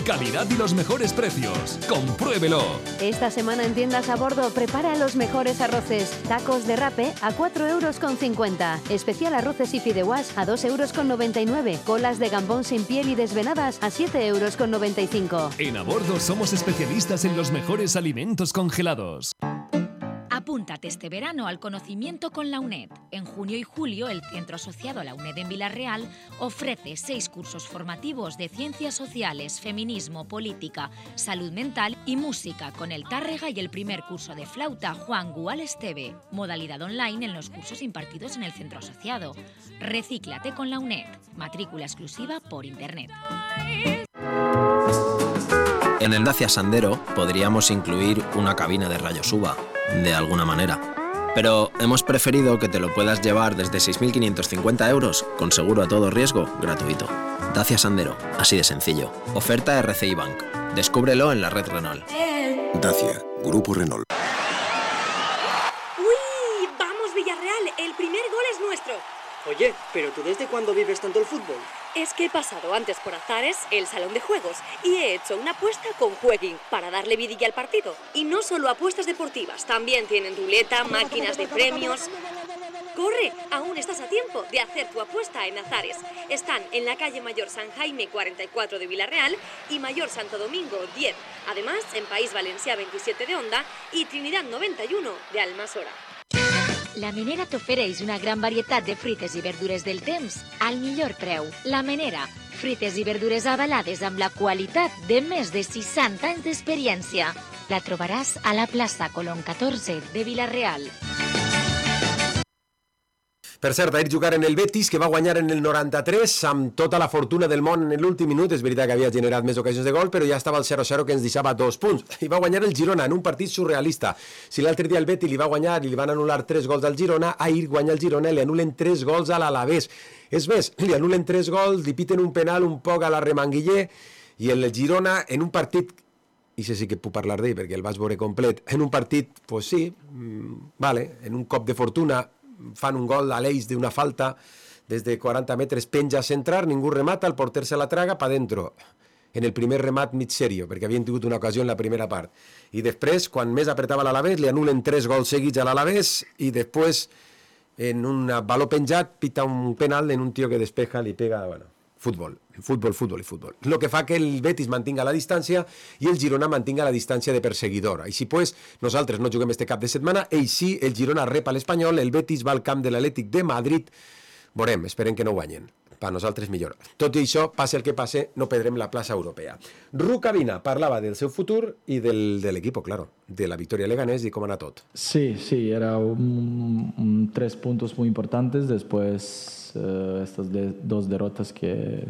calidad y los mejores precios. ¡Compruébelo! Esta semana en Tiendas A Bordo prepara los mejores arroces. Tacos de rape a 4,50 €. Especial arroces y fideuás a 2,99 €. Colas de gambón sin piel y desvenadas a 7,95 €. En A Bordo somos especialistas en los mejores alimentos congelados. Apúntate este verano al conocimiento con la UNED. En junio y julio, el centro asociado a la UNED en Vila-real ofrece 6 cursos formativos de ciencias sociales, feminismo, política, salud mental y música, con el Tárrega y el primer curso de flauta Juan Gual Esteve. Modalidad online en los cursos impartidos en el centro asociado. Recíclate con la UNED. Matrícula exclusiva por internet. En el Dacia Sandero podríamos incluir una cabina de rayos UVA, de alguna manera. Pero hemos preferido que te lo puedas llevar desde 6.550 €, con seguro a todo riesgo, gratuito. Dacia Sandero, así de sencillo. Oferta RCI Bank. Descúbrelo en la red Renault. Dacia, Grupo Renault. ¡Uy! ¡Vamos, Villarreal! El primer gol es nuestro. Oye, ¿pero tú desde cuándo vives tanto el fútbol? Es que he pasado antes por Azares, el salón de juegos, y he hecho una apuesta con Jueguin para darle vidilla al partido. Y no solo apuestas deportivas, también tienen ruleta, máquinas de premios. ¡Corre! Aún estás a tiempo de hacer tu apuesta en Azares. Están en la calle Mayor San Jaime 44 de Vila-real y Mayor Santo Domingo 10. Además, en País Valencià 27 de Onda y Trinidad 91 de Almassora. La Menera t'ofereix una gran varietat de fruites i verdures del temps al millor preu. La Menera, fruites i verdures avalades amb la qualitat de més de 60 anys d'experiència. La trobaràs a la plaça Colón 14 de Vila-real. Per cert, ahir jugar en el Betis, que va guanyar en el 93 amb tota la fortuna del món en l'últim minut. És veritat que havia generat més ocasions de gol, però ja estava el 0-0 que ens deixava 2 punts. I va guanyar el Girona en un partit surrealista. Si l'altre dia el Betis li va guanyar i li van anul·lar 3 gols al Girona, ahir guanya el Girona i li anulen 3 gols a l'Alavés. És més, li anulen 3 gols, li piten un penal un poc a la Remanguiller i el Girona en un partit, i sí que puc parlar d'ell perquè el vaig veure complet, en un partit, pues sí, vale, en un cop de fortuna fan un gol a l'eix d'una falta des de 40 metres, penja a centrar, ningú remata, el porter se la traga pa dentro, en el primer remat mig serio, perquè havien tingut una ocasió en la primera part. I després, quan més apretava l'Alavés, li anulen 3 gols seguits a l'Alavés i després, en un baló penjat, pita un penal en un tio que despeja, li pega, bueno, futbol. Lo que fa que el Betis mantinga la distància i el Girona mantinga la distància de perseguidor. Així pues, nosaltres no juguem este cap de setmana, així el Girona rep a l'Espanyol, el Betis va al camp de l'Atlètic de Madrid. Veurem, esperem que no guanyen. Per nosaltres millor. Tot i això, passe el que passe, no perdrem la plaça europea. Rukavina parlava del seu futur i de l'equip, claro, de la victòria Leganés i com anar tot. Sí, era 3 puntos muy importantes después estas 2 derrotas que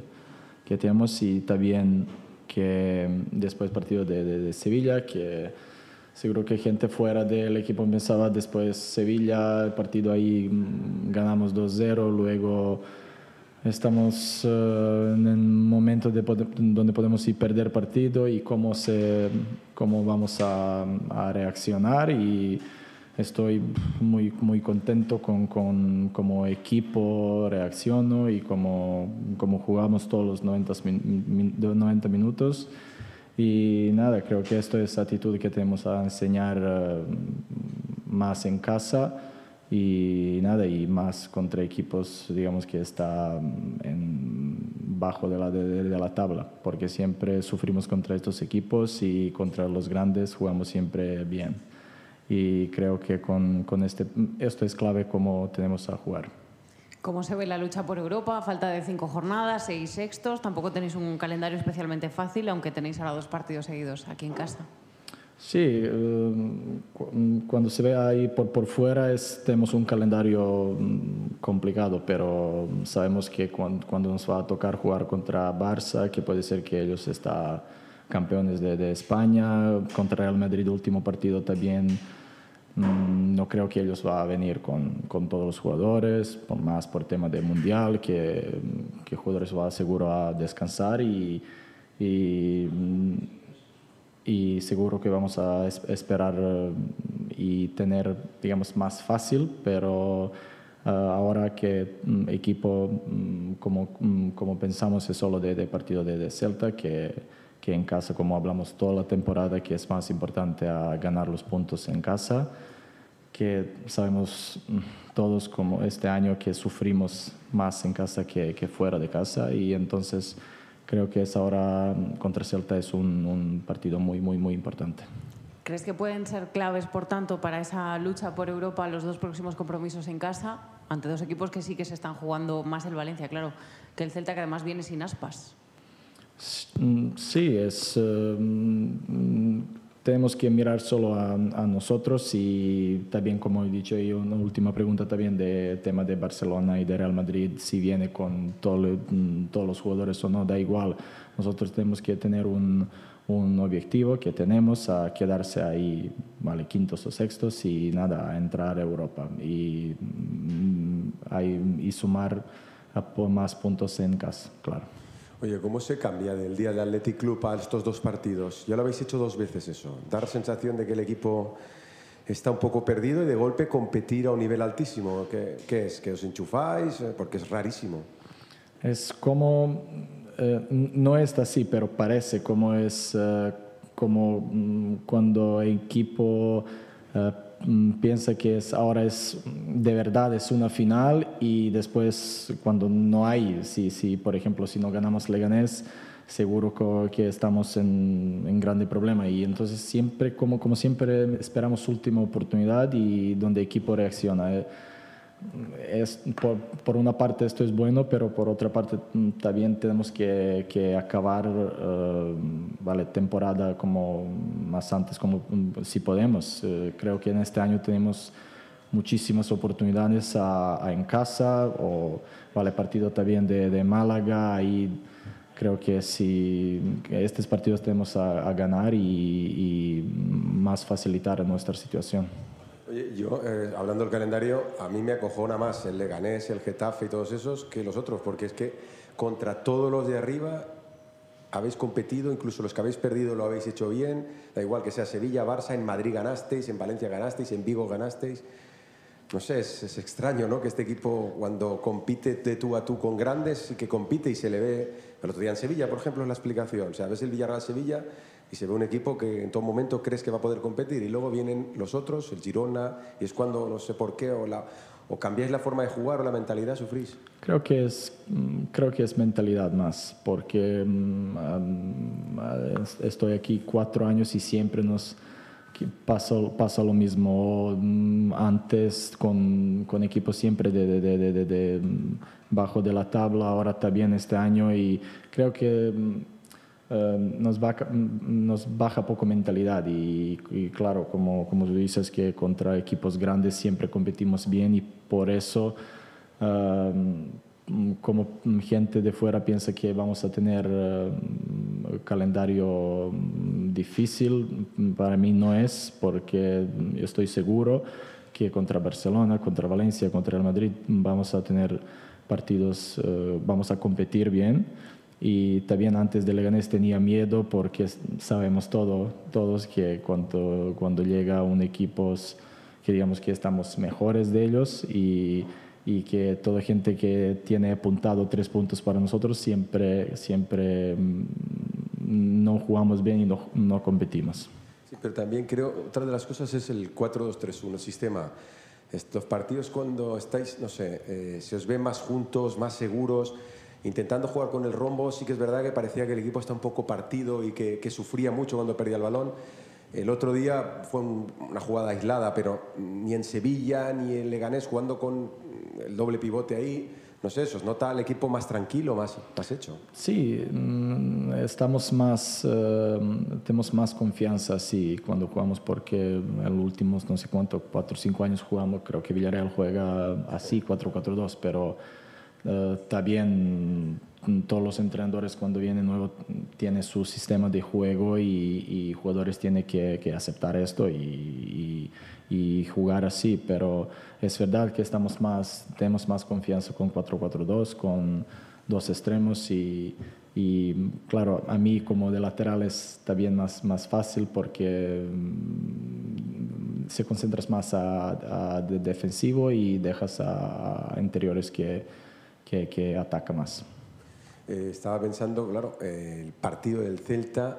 tenemos y también que después partido de Sevilla, que seguro que gente fuera del equipo pensaba después Sevilla, el partido ahí ganamos 2-0, luego estamos en un momento donde podemos ir perder partido y cómo vamos a reaccionar, y estoy muy contento con como equipo reacciono y como jugamos todos los 90 minutos. Y nada, creo que esto es actitud que tenemos a enseñar más en casa y más contra equipos, digamos, que está bajo de la tabla, porque siempre sufrimos contra estos equipos y contra los grandes jugamos siempre bien. Y creo que con esto es clave cómo tenemos a jugar. ¿Cómo se ve la lucha por Europa? Falta de 5 jornadas, 6 sextos. Tampoco tenéis un calendario especialmente fácil, aunque tenéis ahora 2 partidos seguidos aquí en casa. Sí, cuando se ve ahí por fuera tenemos un calendario complicado, pero sabemos que cuando nos va a tocar jugar contra Barça, que puede ser que ellos estén campeones de España, contra Real Madrid último partido también, no creo que ellos van a venir con todos los jugadores, más por tema de mundial, que jugadores van seguro a descansar y seguro que vamos a esperar y tener, digamos, más fácil, pero ahora que equipo, como pensamos, es solo de partido de Celta, que en casa, como hablamos toda la temporada, que es más importante a ganar los puntos en casa, que sabemos todos como este año que sufrimos más en casa que fuera de casa, y entonces creo que ahora contra Celta es un partido muy, muy, muy importante. ¿Crees que pueden ser claves, por tanto, para esa lucha por Europa los 2 próximos compromisos en casa, ante 2 equipos que sí que se están jugando más el Valencia, claro, que el Celta, que además viene sin Aspas? Sí, tenemos que mirar solo a nosotros, y también, como he dicho, y una última pregunta también de tema de Barcelona y de Real Madrid, si viene con todos los jugadores o no, da igual. Nosotros tenemos que tener un objetivo que tenemos a quedarse ahí, vale, quintos o sextos y nada, a entrar a Europa y sumar más puntos en casa, claro. Oye, ¿cómo se cambia del día del Athletic Club a estos 2 partidos? Ya lo habéis hecho 2 veces eso. Dar sensación de que el equipo está un poco perdido y de golpe competir a un nivel altísimo. ¿Qué es? ¿Que os enchufáis? Porque es rarísimo. Es como... no es así, pero parece como es como cuando el equipo piensa que ahora es de verdad es una final, y después cuando no hay, si por ejemplo si no ganamos Leganés, seguro que estamos en grande problema, y entonces siempre como siempre esperamos última oportunidad y donde el equipo reacciona. Por una parte esto es bueno, pero por otra parte también tenemos que acabar vale, temporada como más antes, como si podemos. Creo que en este año tenemos muchísimas oportunidades en casa, o vale, partido también de Málaga, y creo que estos partidos tenemos a ganar y más facilitar nuestra situación. Oye, yo, hablando del calendario, a mí me acojona más el Leganés, el Getafe y todos esos que los otros, porque es que contra todos los de arriba habéis competido, incluso los que habéis perdido lo habéis hecho bien, da igual que sea Sevilla, Barça, en Madrid ganasteis, en Valencia ganasteis, en Vigo ganasteis. No sé, es extraño, ¿no?, que este equipo, cuando compite de tú a tú con grandes, y que compite y se le ve, el otro día en Sevilla, por ejemplo, es la explicación, o sea, ves el Villarreal-Sevilla y se ve un equipo que en todo momento crees que va a poder competir, y luego vienen los otros, el Girona, y es cuando, no sé por qué, o cambiáis la forma de jugar o la mentalidad, sufrís. Creo que es mentalidad más, porque estoy aquí 4 años y siempre pasa lo mismo. Antes con equipos siempre de bajo de la tabla, ahora también este año, y creo que nos baja poco mentalidad, y claro, como tú dices, que contra equipos grandes siempre competimos bien, y por eso como gente de fuera piensa que vamos a tener calendario difícil. Para mí no es, porque estoy seguro que contra Barcelona, contra Valencia, contra el Madrid vamos a tener partidos, vamos a competir bien. Y también antes de Leganés tenía miedo, porque sabemos todos que cuando llega un equipo que digamos que estamos mejores de ellos, y que toda gente que tiene apuntado 3 puntos para nosotros siempre no jugamos bien y no competimos. Sí, pero también creo, otra de las cosas es el 4-2-3-1, el sistema. Estos partidos, cuando estáis, no sé, se os ve más juntos, más seguros. intentando jugar con el rombo. Sí que es verdad que parecía que el equipo está un poco partido y que sufría mucho cuando perdía el balón. El otro día fue una jugada aislada, pero ni en Sevilla ni en Leganés jugando con el doble pivote ahí, no sé, ¿os nota el equipo más tranquilo, más hecho? Sí, tenemos más confianza sí, cuando jugamos, porque en los últimos, no sé cuánto, 4 o 5 años jugamos, creo que Villarreal juega así, 4-4-2, pero también todos los entrenadores cuando vienen nuevos tienen su sistema de juego y jugadores tienen que aceptar esto y jugar así, pero es verdad que tenemos más confianza con 4-4-2, con 2 extremos y claro, a mí como de lateral es también más fácil porque se concentras más a defensivo y dejas a interiores que ataca más. Estaba pensando, claro, el partido del Celta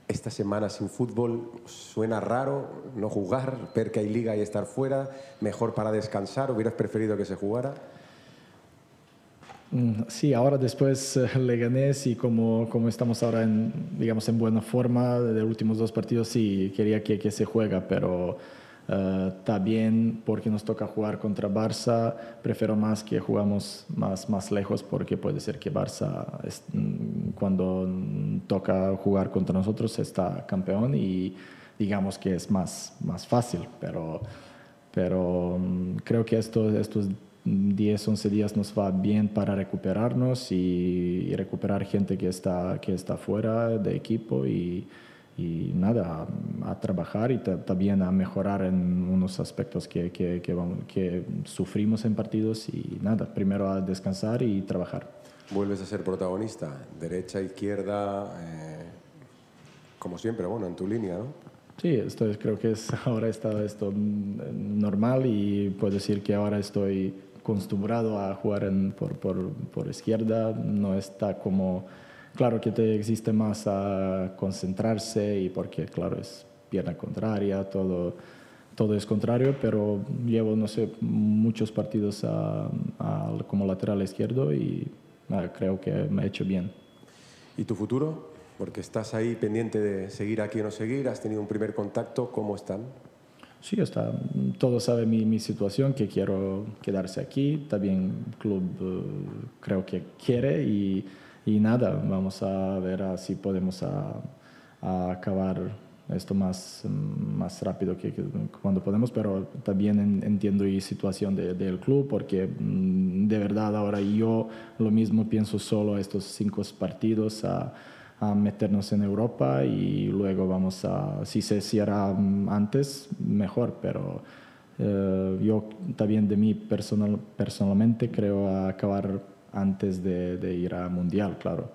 esta semana sin fútbol, suena raro no jugar, ver que hay liga y estar fuera, mejor para descansar, ¿hubieras preferido que se jugara? Sí, ahora después Leganés y como estamos ahora en buena forma de los últimos 2 partidos, sí, quería que se juega, pero también porque nos toca jugar contra Barça, prefiero más que jugamos más lejos, porque puede ser que Barça cuando toca jugar contra nosotros está campeón y digamos que es más fácil, pero creo que estos 10, 11 días nos va bien para recuperarnos y recuperar gente que está fuera de equipo y nada, a trabajar y también a mejorar en unos aspectos que sufrimos en partidos y nada, primero a descansar y trabajar. Vuelves a ser protagonista, derecha, izquierda, como siempre, bueno, en tu línea, ¿no? Sí, creo que ahora está esto normal y puedo decir que ahora estoy acostumbrado a jugar por izquierda, no está como... Claro que te existe más a concentrarse y porque, claro, es pierna contraria, todo es contrario, pero llevo, no sé, muchos partidos como lateral izquierdo y creo que me ha hecho bien. ¿Y tu futuro? Porque estás ahí pendiente de seguir aquí o no seguir, has tenido un primer contacto, ¿cómo están? Sí, todo sabe mi situación, que quiero quedarse aquí, también el club creo que quiere y nada, vamos a ver si podemos acabar esto más rápido que cuando podemos, pero también entiendo la situación del club, porque de verdad ahora yo lo mismo pienso solo estos 5 partidos a meternos en Europa y luego vamos si se cierra antes, mejor, pero yo también de mí personalmente creo acabar antes de ir a Mundial, claro.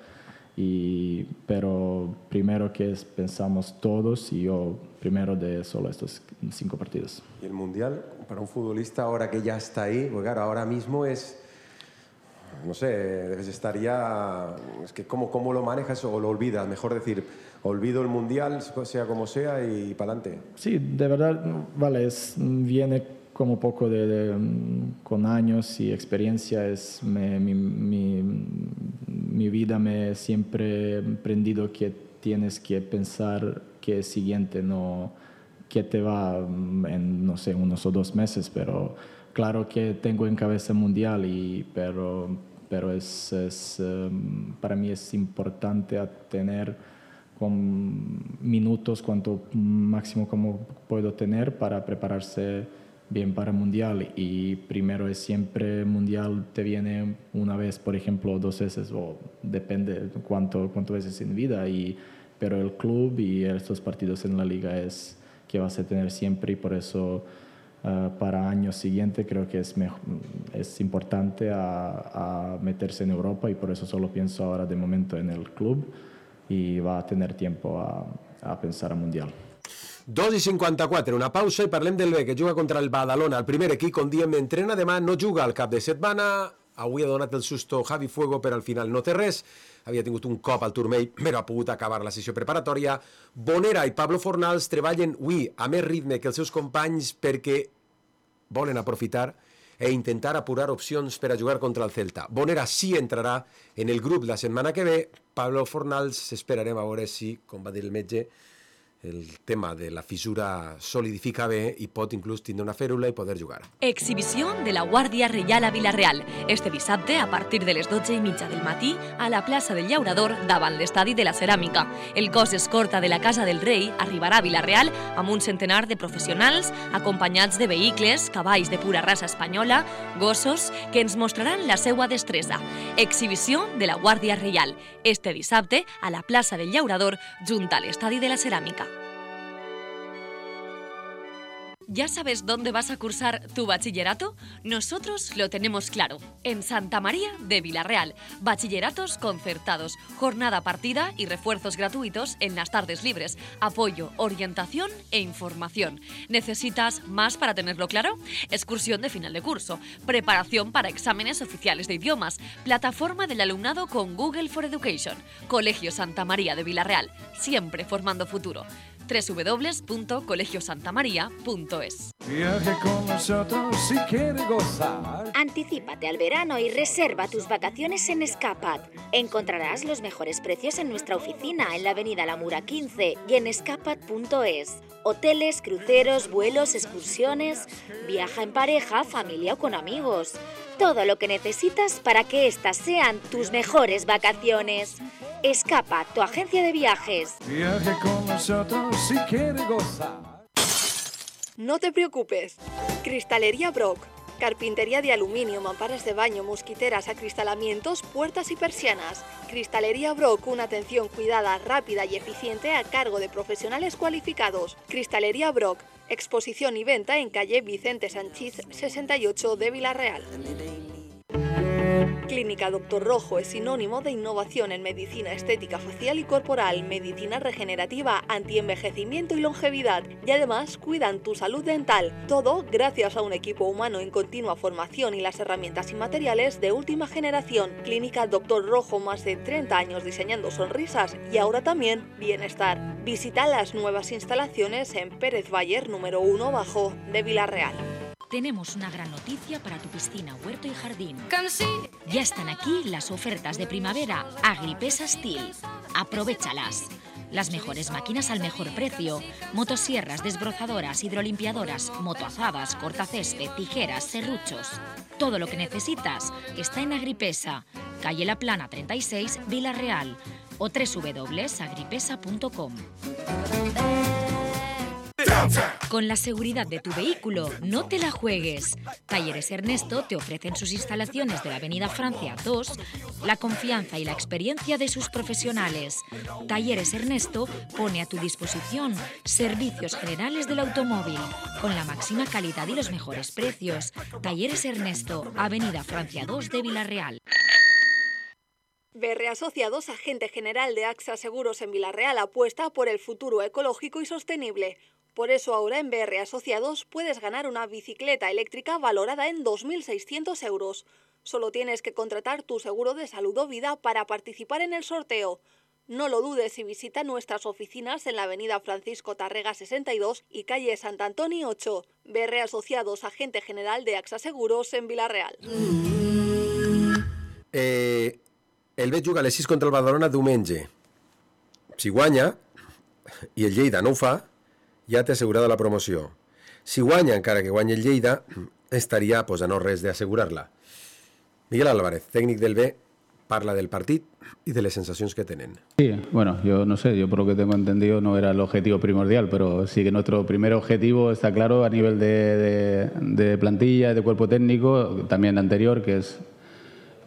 Pero primero que pensamos todos y yo primero de solo estos 5 partidos. ¿Y el Mundial para un futbolista ahora que ya está ahí? Porque claro, ahora mismo no sé, debes estar ya... Es que ¿cómo lo manejas o lo olvidas? Mejor decir, olvido el Mundial, sea como sea, y para adelante. Sí, de verdad, vale, viene como poco con años y experiencia. Mi vida me siempre aprendido que tienes que pensar que es siguiente, no que te va en, no sé, 1 o 2 meses, pero claro que tengo en cabeza Mundial, pero para mí es importante tener minutos cuanto máximo como puedo tener para prepararse bien para Mundial, y primero es siempre Mundial te viene una vez, por ejemplo, 2 veces, o depende cuánto veces en vida, pero el club y estos partidos en la liga es que vas a tener siempre, y por eso para años siguientes creo que es importante a meterse en Europa, y por eso solo pienso ahora de momento en el club y va a tener tiempo a pensar a Mundial. 2:54, una pausa i parlem del B, que juga contra el Badalona. El primer equip, com diem, entrena demà, no juga al cap de setmana. Avui ha donat el susto Javi Fuego, però al final no té res. Havia tingut un cop al turmell, però ha pogut acabar la sessió preparatòria. Bonera i Pablo Fornals treballen avui a més ritme que els seus companys perquè volen aprofitar e intentar apurar opcions per a jugar contra el Celta. Bonera sí entrarà en el grup la setmana que ve. Pablo Fornals esperarem a veure si, com va dir el metge, el tema de la fissura solidifica bé i pot inclús tindre una fèrula i poder jugar. Exhibició de la Guàrdia Reial a Vila-real. Este dissabte, a partir de les 12:30 del matí, a la plaça del Llaurador, davant l'estadi de la Ceràmica. El cos escorta de la Casa del Rei arribarà a Vila-real amb un centenar de professionals, acompanyats de vehicles, cavalls de pura raça espanyola, gossos, que ens mostraran la seva destresa. Exhibició de la Guàrdia Reial. Este dissabte, a la plaça del Llaurador, junt a l'estadi de la Ceràmica. ¿Ya sabes dónde vas a cursar tu bachillerato? Nosotros lo tenemos claro. En Santa María de Vila-real. Bachilleratos concertados, jornada partida y refuerzos gratuitos en las tardes libres. Apoyo, orientación e información. ¿Necesitas más para tenerlo claro? Excursión de final de curso. Preparación para exámenes oficiales de idiomas. Plataforma del alumnado con Google for Education. Colegio Santa María de Vila-real. Siempre formando futuro. www.colegiosantamaria.es. Viaje con nosotros si quiere gozar. Anticípate al verano y reserva tus vacaciones en Escapat. Encontrarás los mejores precios en nuestra oficina en la avenida La Mura 15 y en escapat.es. Hoteles, cruceros, vuelos, excursiones. Viaja en pareja, familia o con amigos. Todo lo que necesitas para que estas sean tus mejores vacaciones. Escapat, tu agencia de viajes. Viaje con nosotros si quiere gozar. No te preocupes. Cristalería Brock. Carpintería de aluminio, mamparas de baño, mosquiteras, acristalamientos, puertas y persianas. Cristalería Brock, una atención cuidada, rápida y eficiente a cargo de profesionales cualificados. Cristalería Brock, exposición y venta en calle Vicente Sanchís 68 de Vila-real. Clínica Doctor Rojo es sinónimo de innovación en medicina estética facial y corporal, medicina regenerativa, antienvejecimiento y longevidad, y además cuidan tu salud dental. Todo gracias a un equipo humano en continua formación y las herramientas y materiales de última generación. Clínica Doctor Rojo, más de 30 años diseñando sonrisas y ahora también bienestar. Visita las nuevas instalaciones en Pérez Bayer número 1 bajo de Vila-real. Tenemos una gran noticia para tu piscina, huerto y jardín. Ya están aquí las ofertas de primavera Agripesa Steel. Aprovéchalas. Las mejores máquinas al mejor precio. Motosierras, desbrozadoras, hidrolimpiadoras, motoazadas, cortacésped, tijeras, serruchos. Todo lo que necesitas está en Agripesa, calle La Plana 36, Vila-real o www.agripesa.com. Con la seguridad de tu vehículo, no te la juegues. Talleres Ernesto te ofrecen sus instalaciones de la Avenida Francia 2, la confianza y la experiencia de sus profesionales. Talleres Ernesto pone a tu disposición servicios generales del automóvil, con la máxima calidad y los mejores precios. Talleres Ernesto, Avenida Francia 2 de Vila-real. BR Asociados, agente general de AXA Seguros en Vila-real, apuesta por el futuro ecológico y sostenible. Por eso ahora en BR Asociados puedes ganar una bicicleta eléctrica valorada en 2.600 euros. Solo tienes que contratar tu seguro de salud o vida para participar en el sorteo. No lo dudes y visita nuestras oficinas en la avenida Francisco Tarrega 62 y calle Sant Antoni 8. BR Asociados, agente general de AXA Seguros en Vila-real. El Bet juga a les 6 contra el Badalona diumenge. Si guanya, i el Lleida no ho fa, ja té assegurada la promoció. Si guanya, encara que guanyi el Lleida, estaria pues, a no res d'assegurar-la. Miguel Álvarez, tècnic del B, parla del partit y de las sensaciones que tienen. Sí, bueno, yo no sé, yo por lo que tengo entendido no era el objetivo primordial, pero sí que nuestro primer objetivo está claro a nivel de plantilla, de cuerpo técnico, también anterior, que es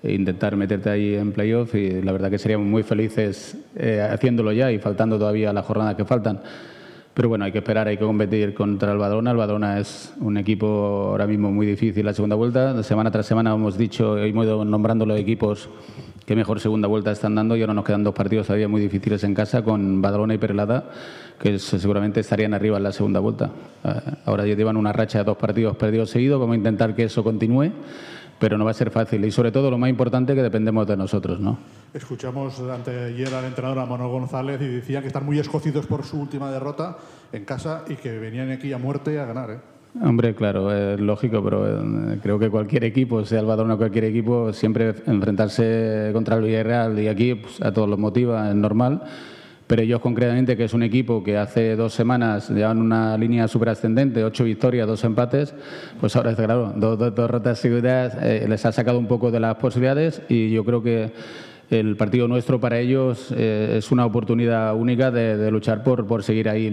intentar meterte ahí en playoff, y la verdad que seríamos muy felices haciéndolo ya y faltando todavía las jornadas que faltan. Pero bueno, hay que esperar, hay que competir contra el Badalona. El Badalona es un equipo ahora mismo muy difícil la segunda vuelta. Semana tras semana hemos dicho, hemos ido nombrando los equipos que mejor segunda vuelta están dando, y ahora nos quedan dos partidos todavía muy difíciles en casa con Badalona y Perelada, que seguramente estarían arriba en la segunda vuelta. Ahora ya llevan una racha de 2 partidos perdidos seguidos, vamos a intentar que eso continúe, pero no va a ser fácil, y sobre todo lo más importante, que dependemos de nosotros, ¿no? Escuchamos ayer al entrenador, a Manuel González, y decía que están muy escocidos por su última derrota en casa y que venían aquí a muerte a ganar, ¿eh? Hombre, claro, es lógico, pero creo que cualquier equipo, sea el Badalona o cualquier equipo, siempre enfrentarse contra el Villarreal y aquí pues, a todos los motiva, es normal. Pero ellos concretamente, que es un equipo que hace 2 semanas llevan una línea súper ascendente, 8 victorias, 2 empates, pues ahora es claro, 2 derrotas seguidas les ha sacado un poco de las posibilidades y yo creo que el partido nuestro para ellos es una oportunidad única de luchar por seguir ahí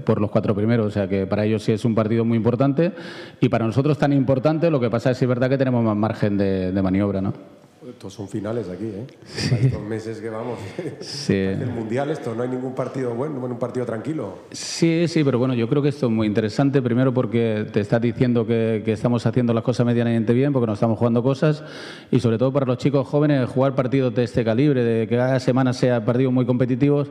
por los 4 primeros. O sea que para ellos sí es un partido muy importante y para nosotros tan importante. Lo que pasa es que es verdad que tenemos más margen de maniobra, ¿no? Estos son finales aquí, ¿eh? Sí. Estos meses que vamos. Sí. El Mundial, esto no hay ningún partido bueno, un partido tranquilo. Sí, pero bueno, yo creo que esto es muy interesante. Primero porque te estás diciendo que estamos haciendo las cosas medianamente bien, porque nos estamos jugando cosas. Y sobre todo para los chicos jóvenes, jugar partidos de este calibre, de que cada semana sea partidos muy competitivos.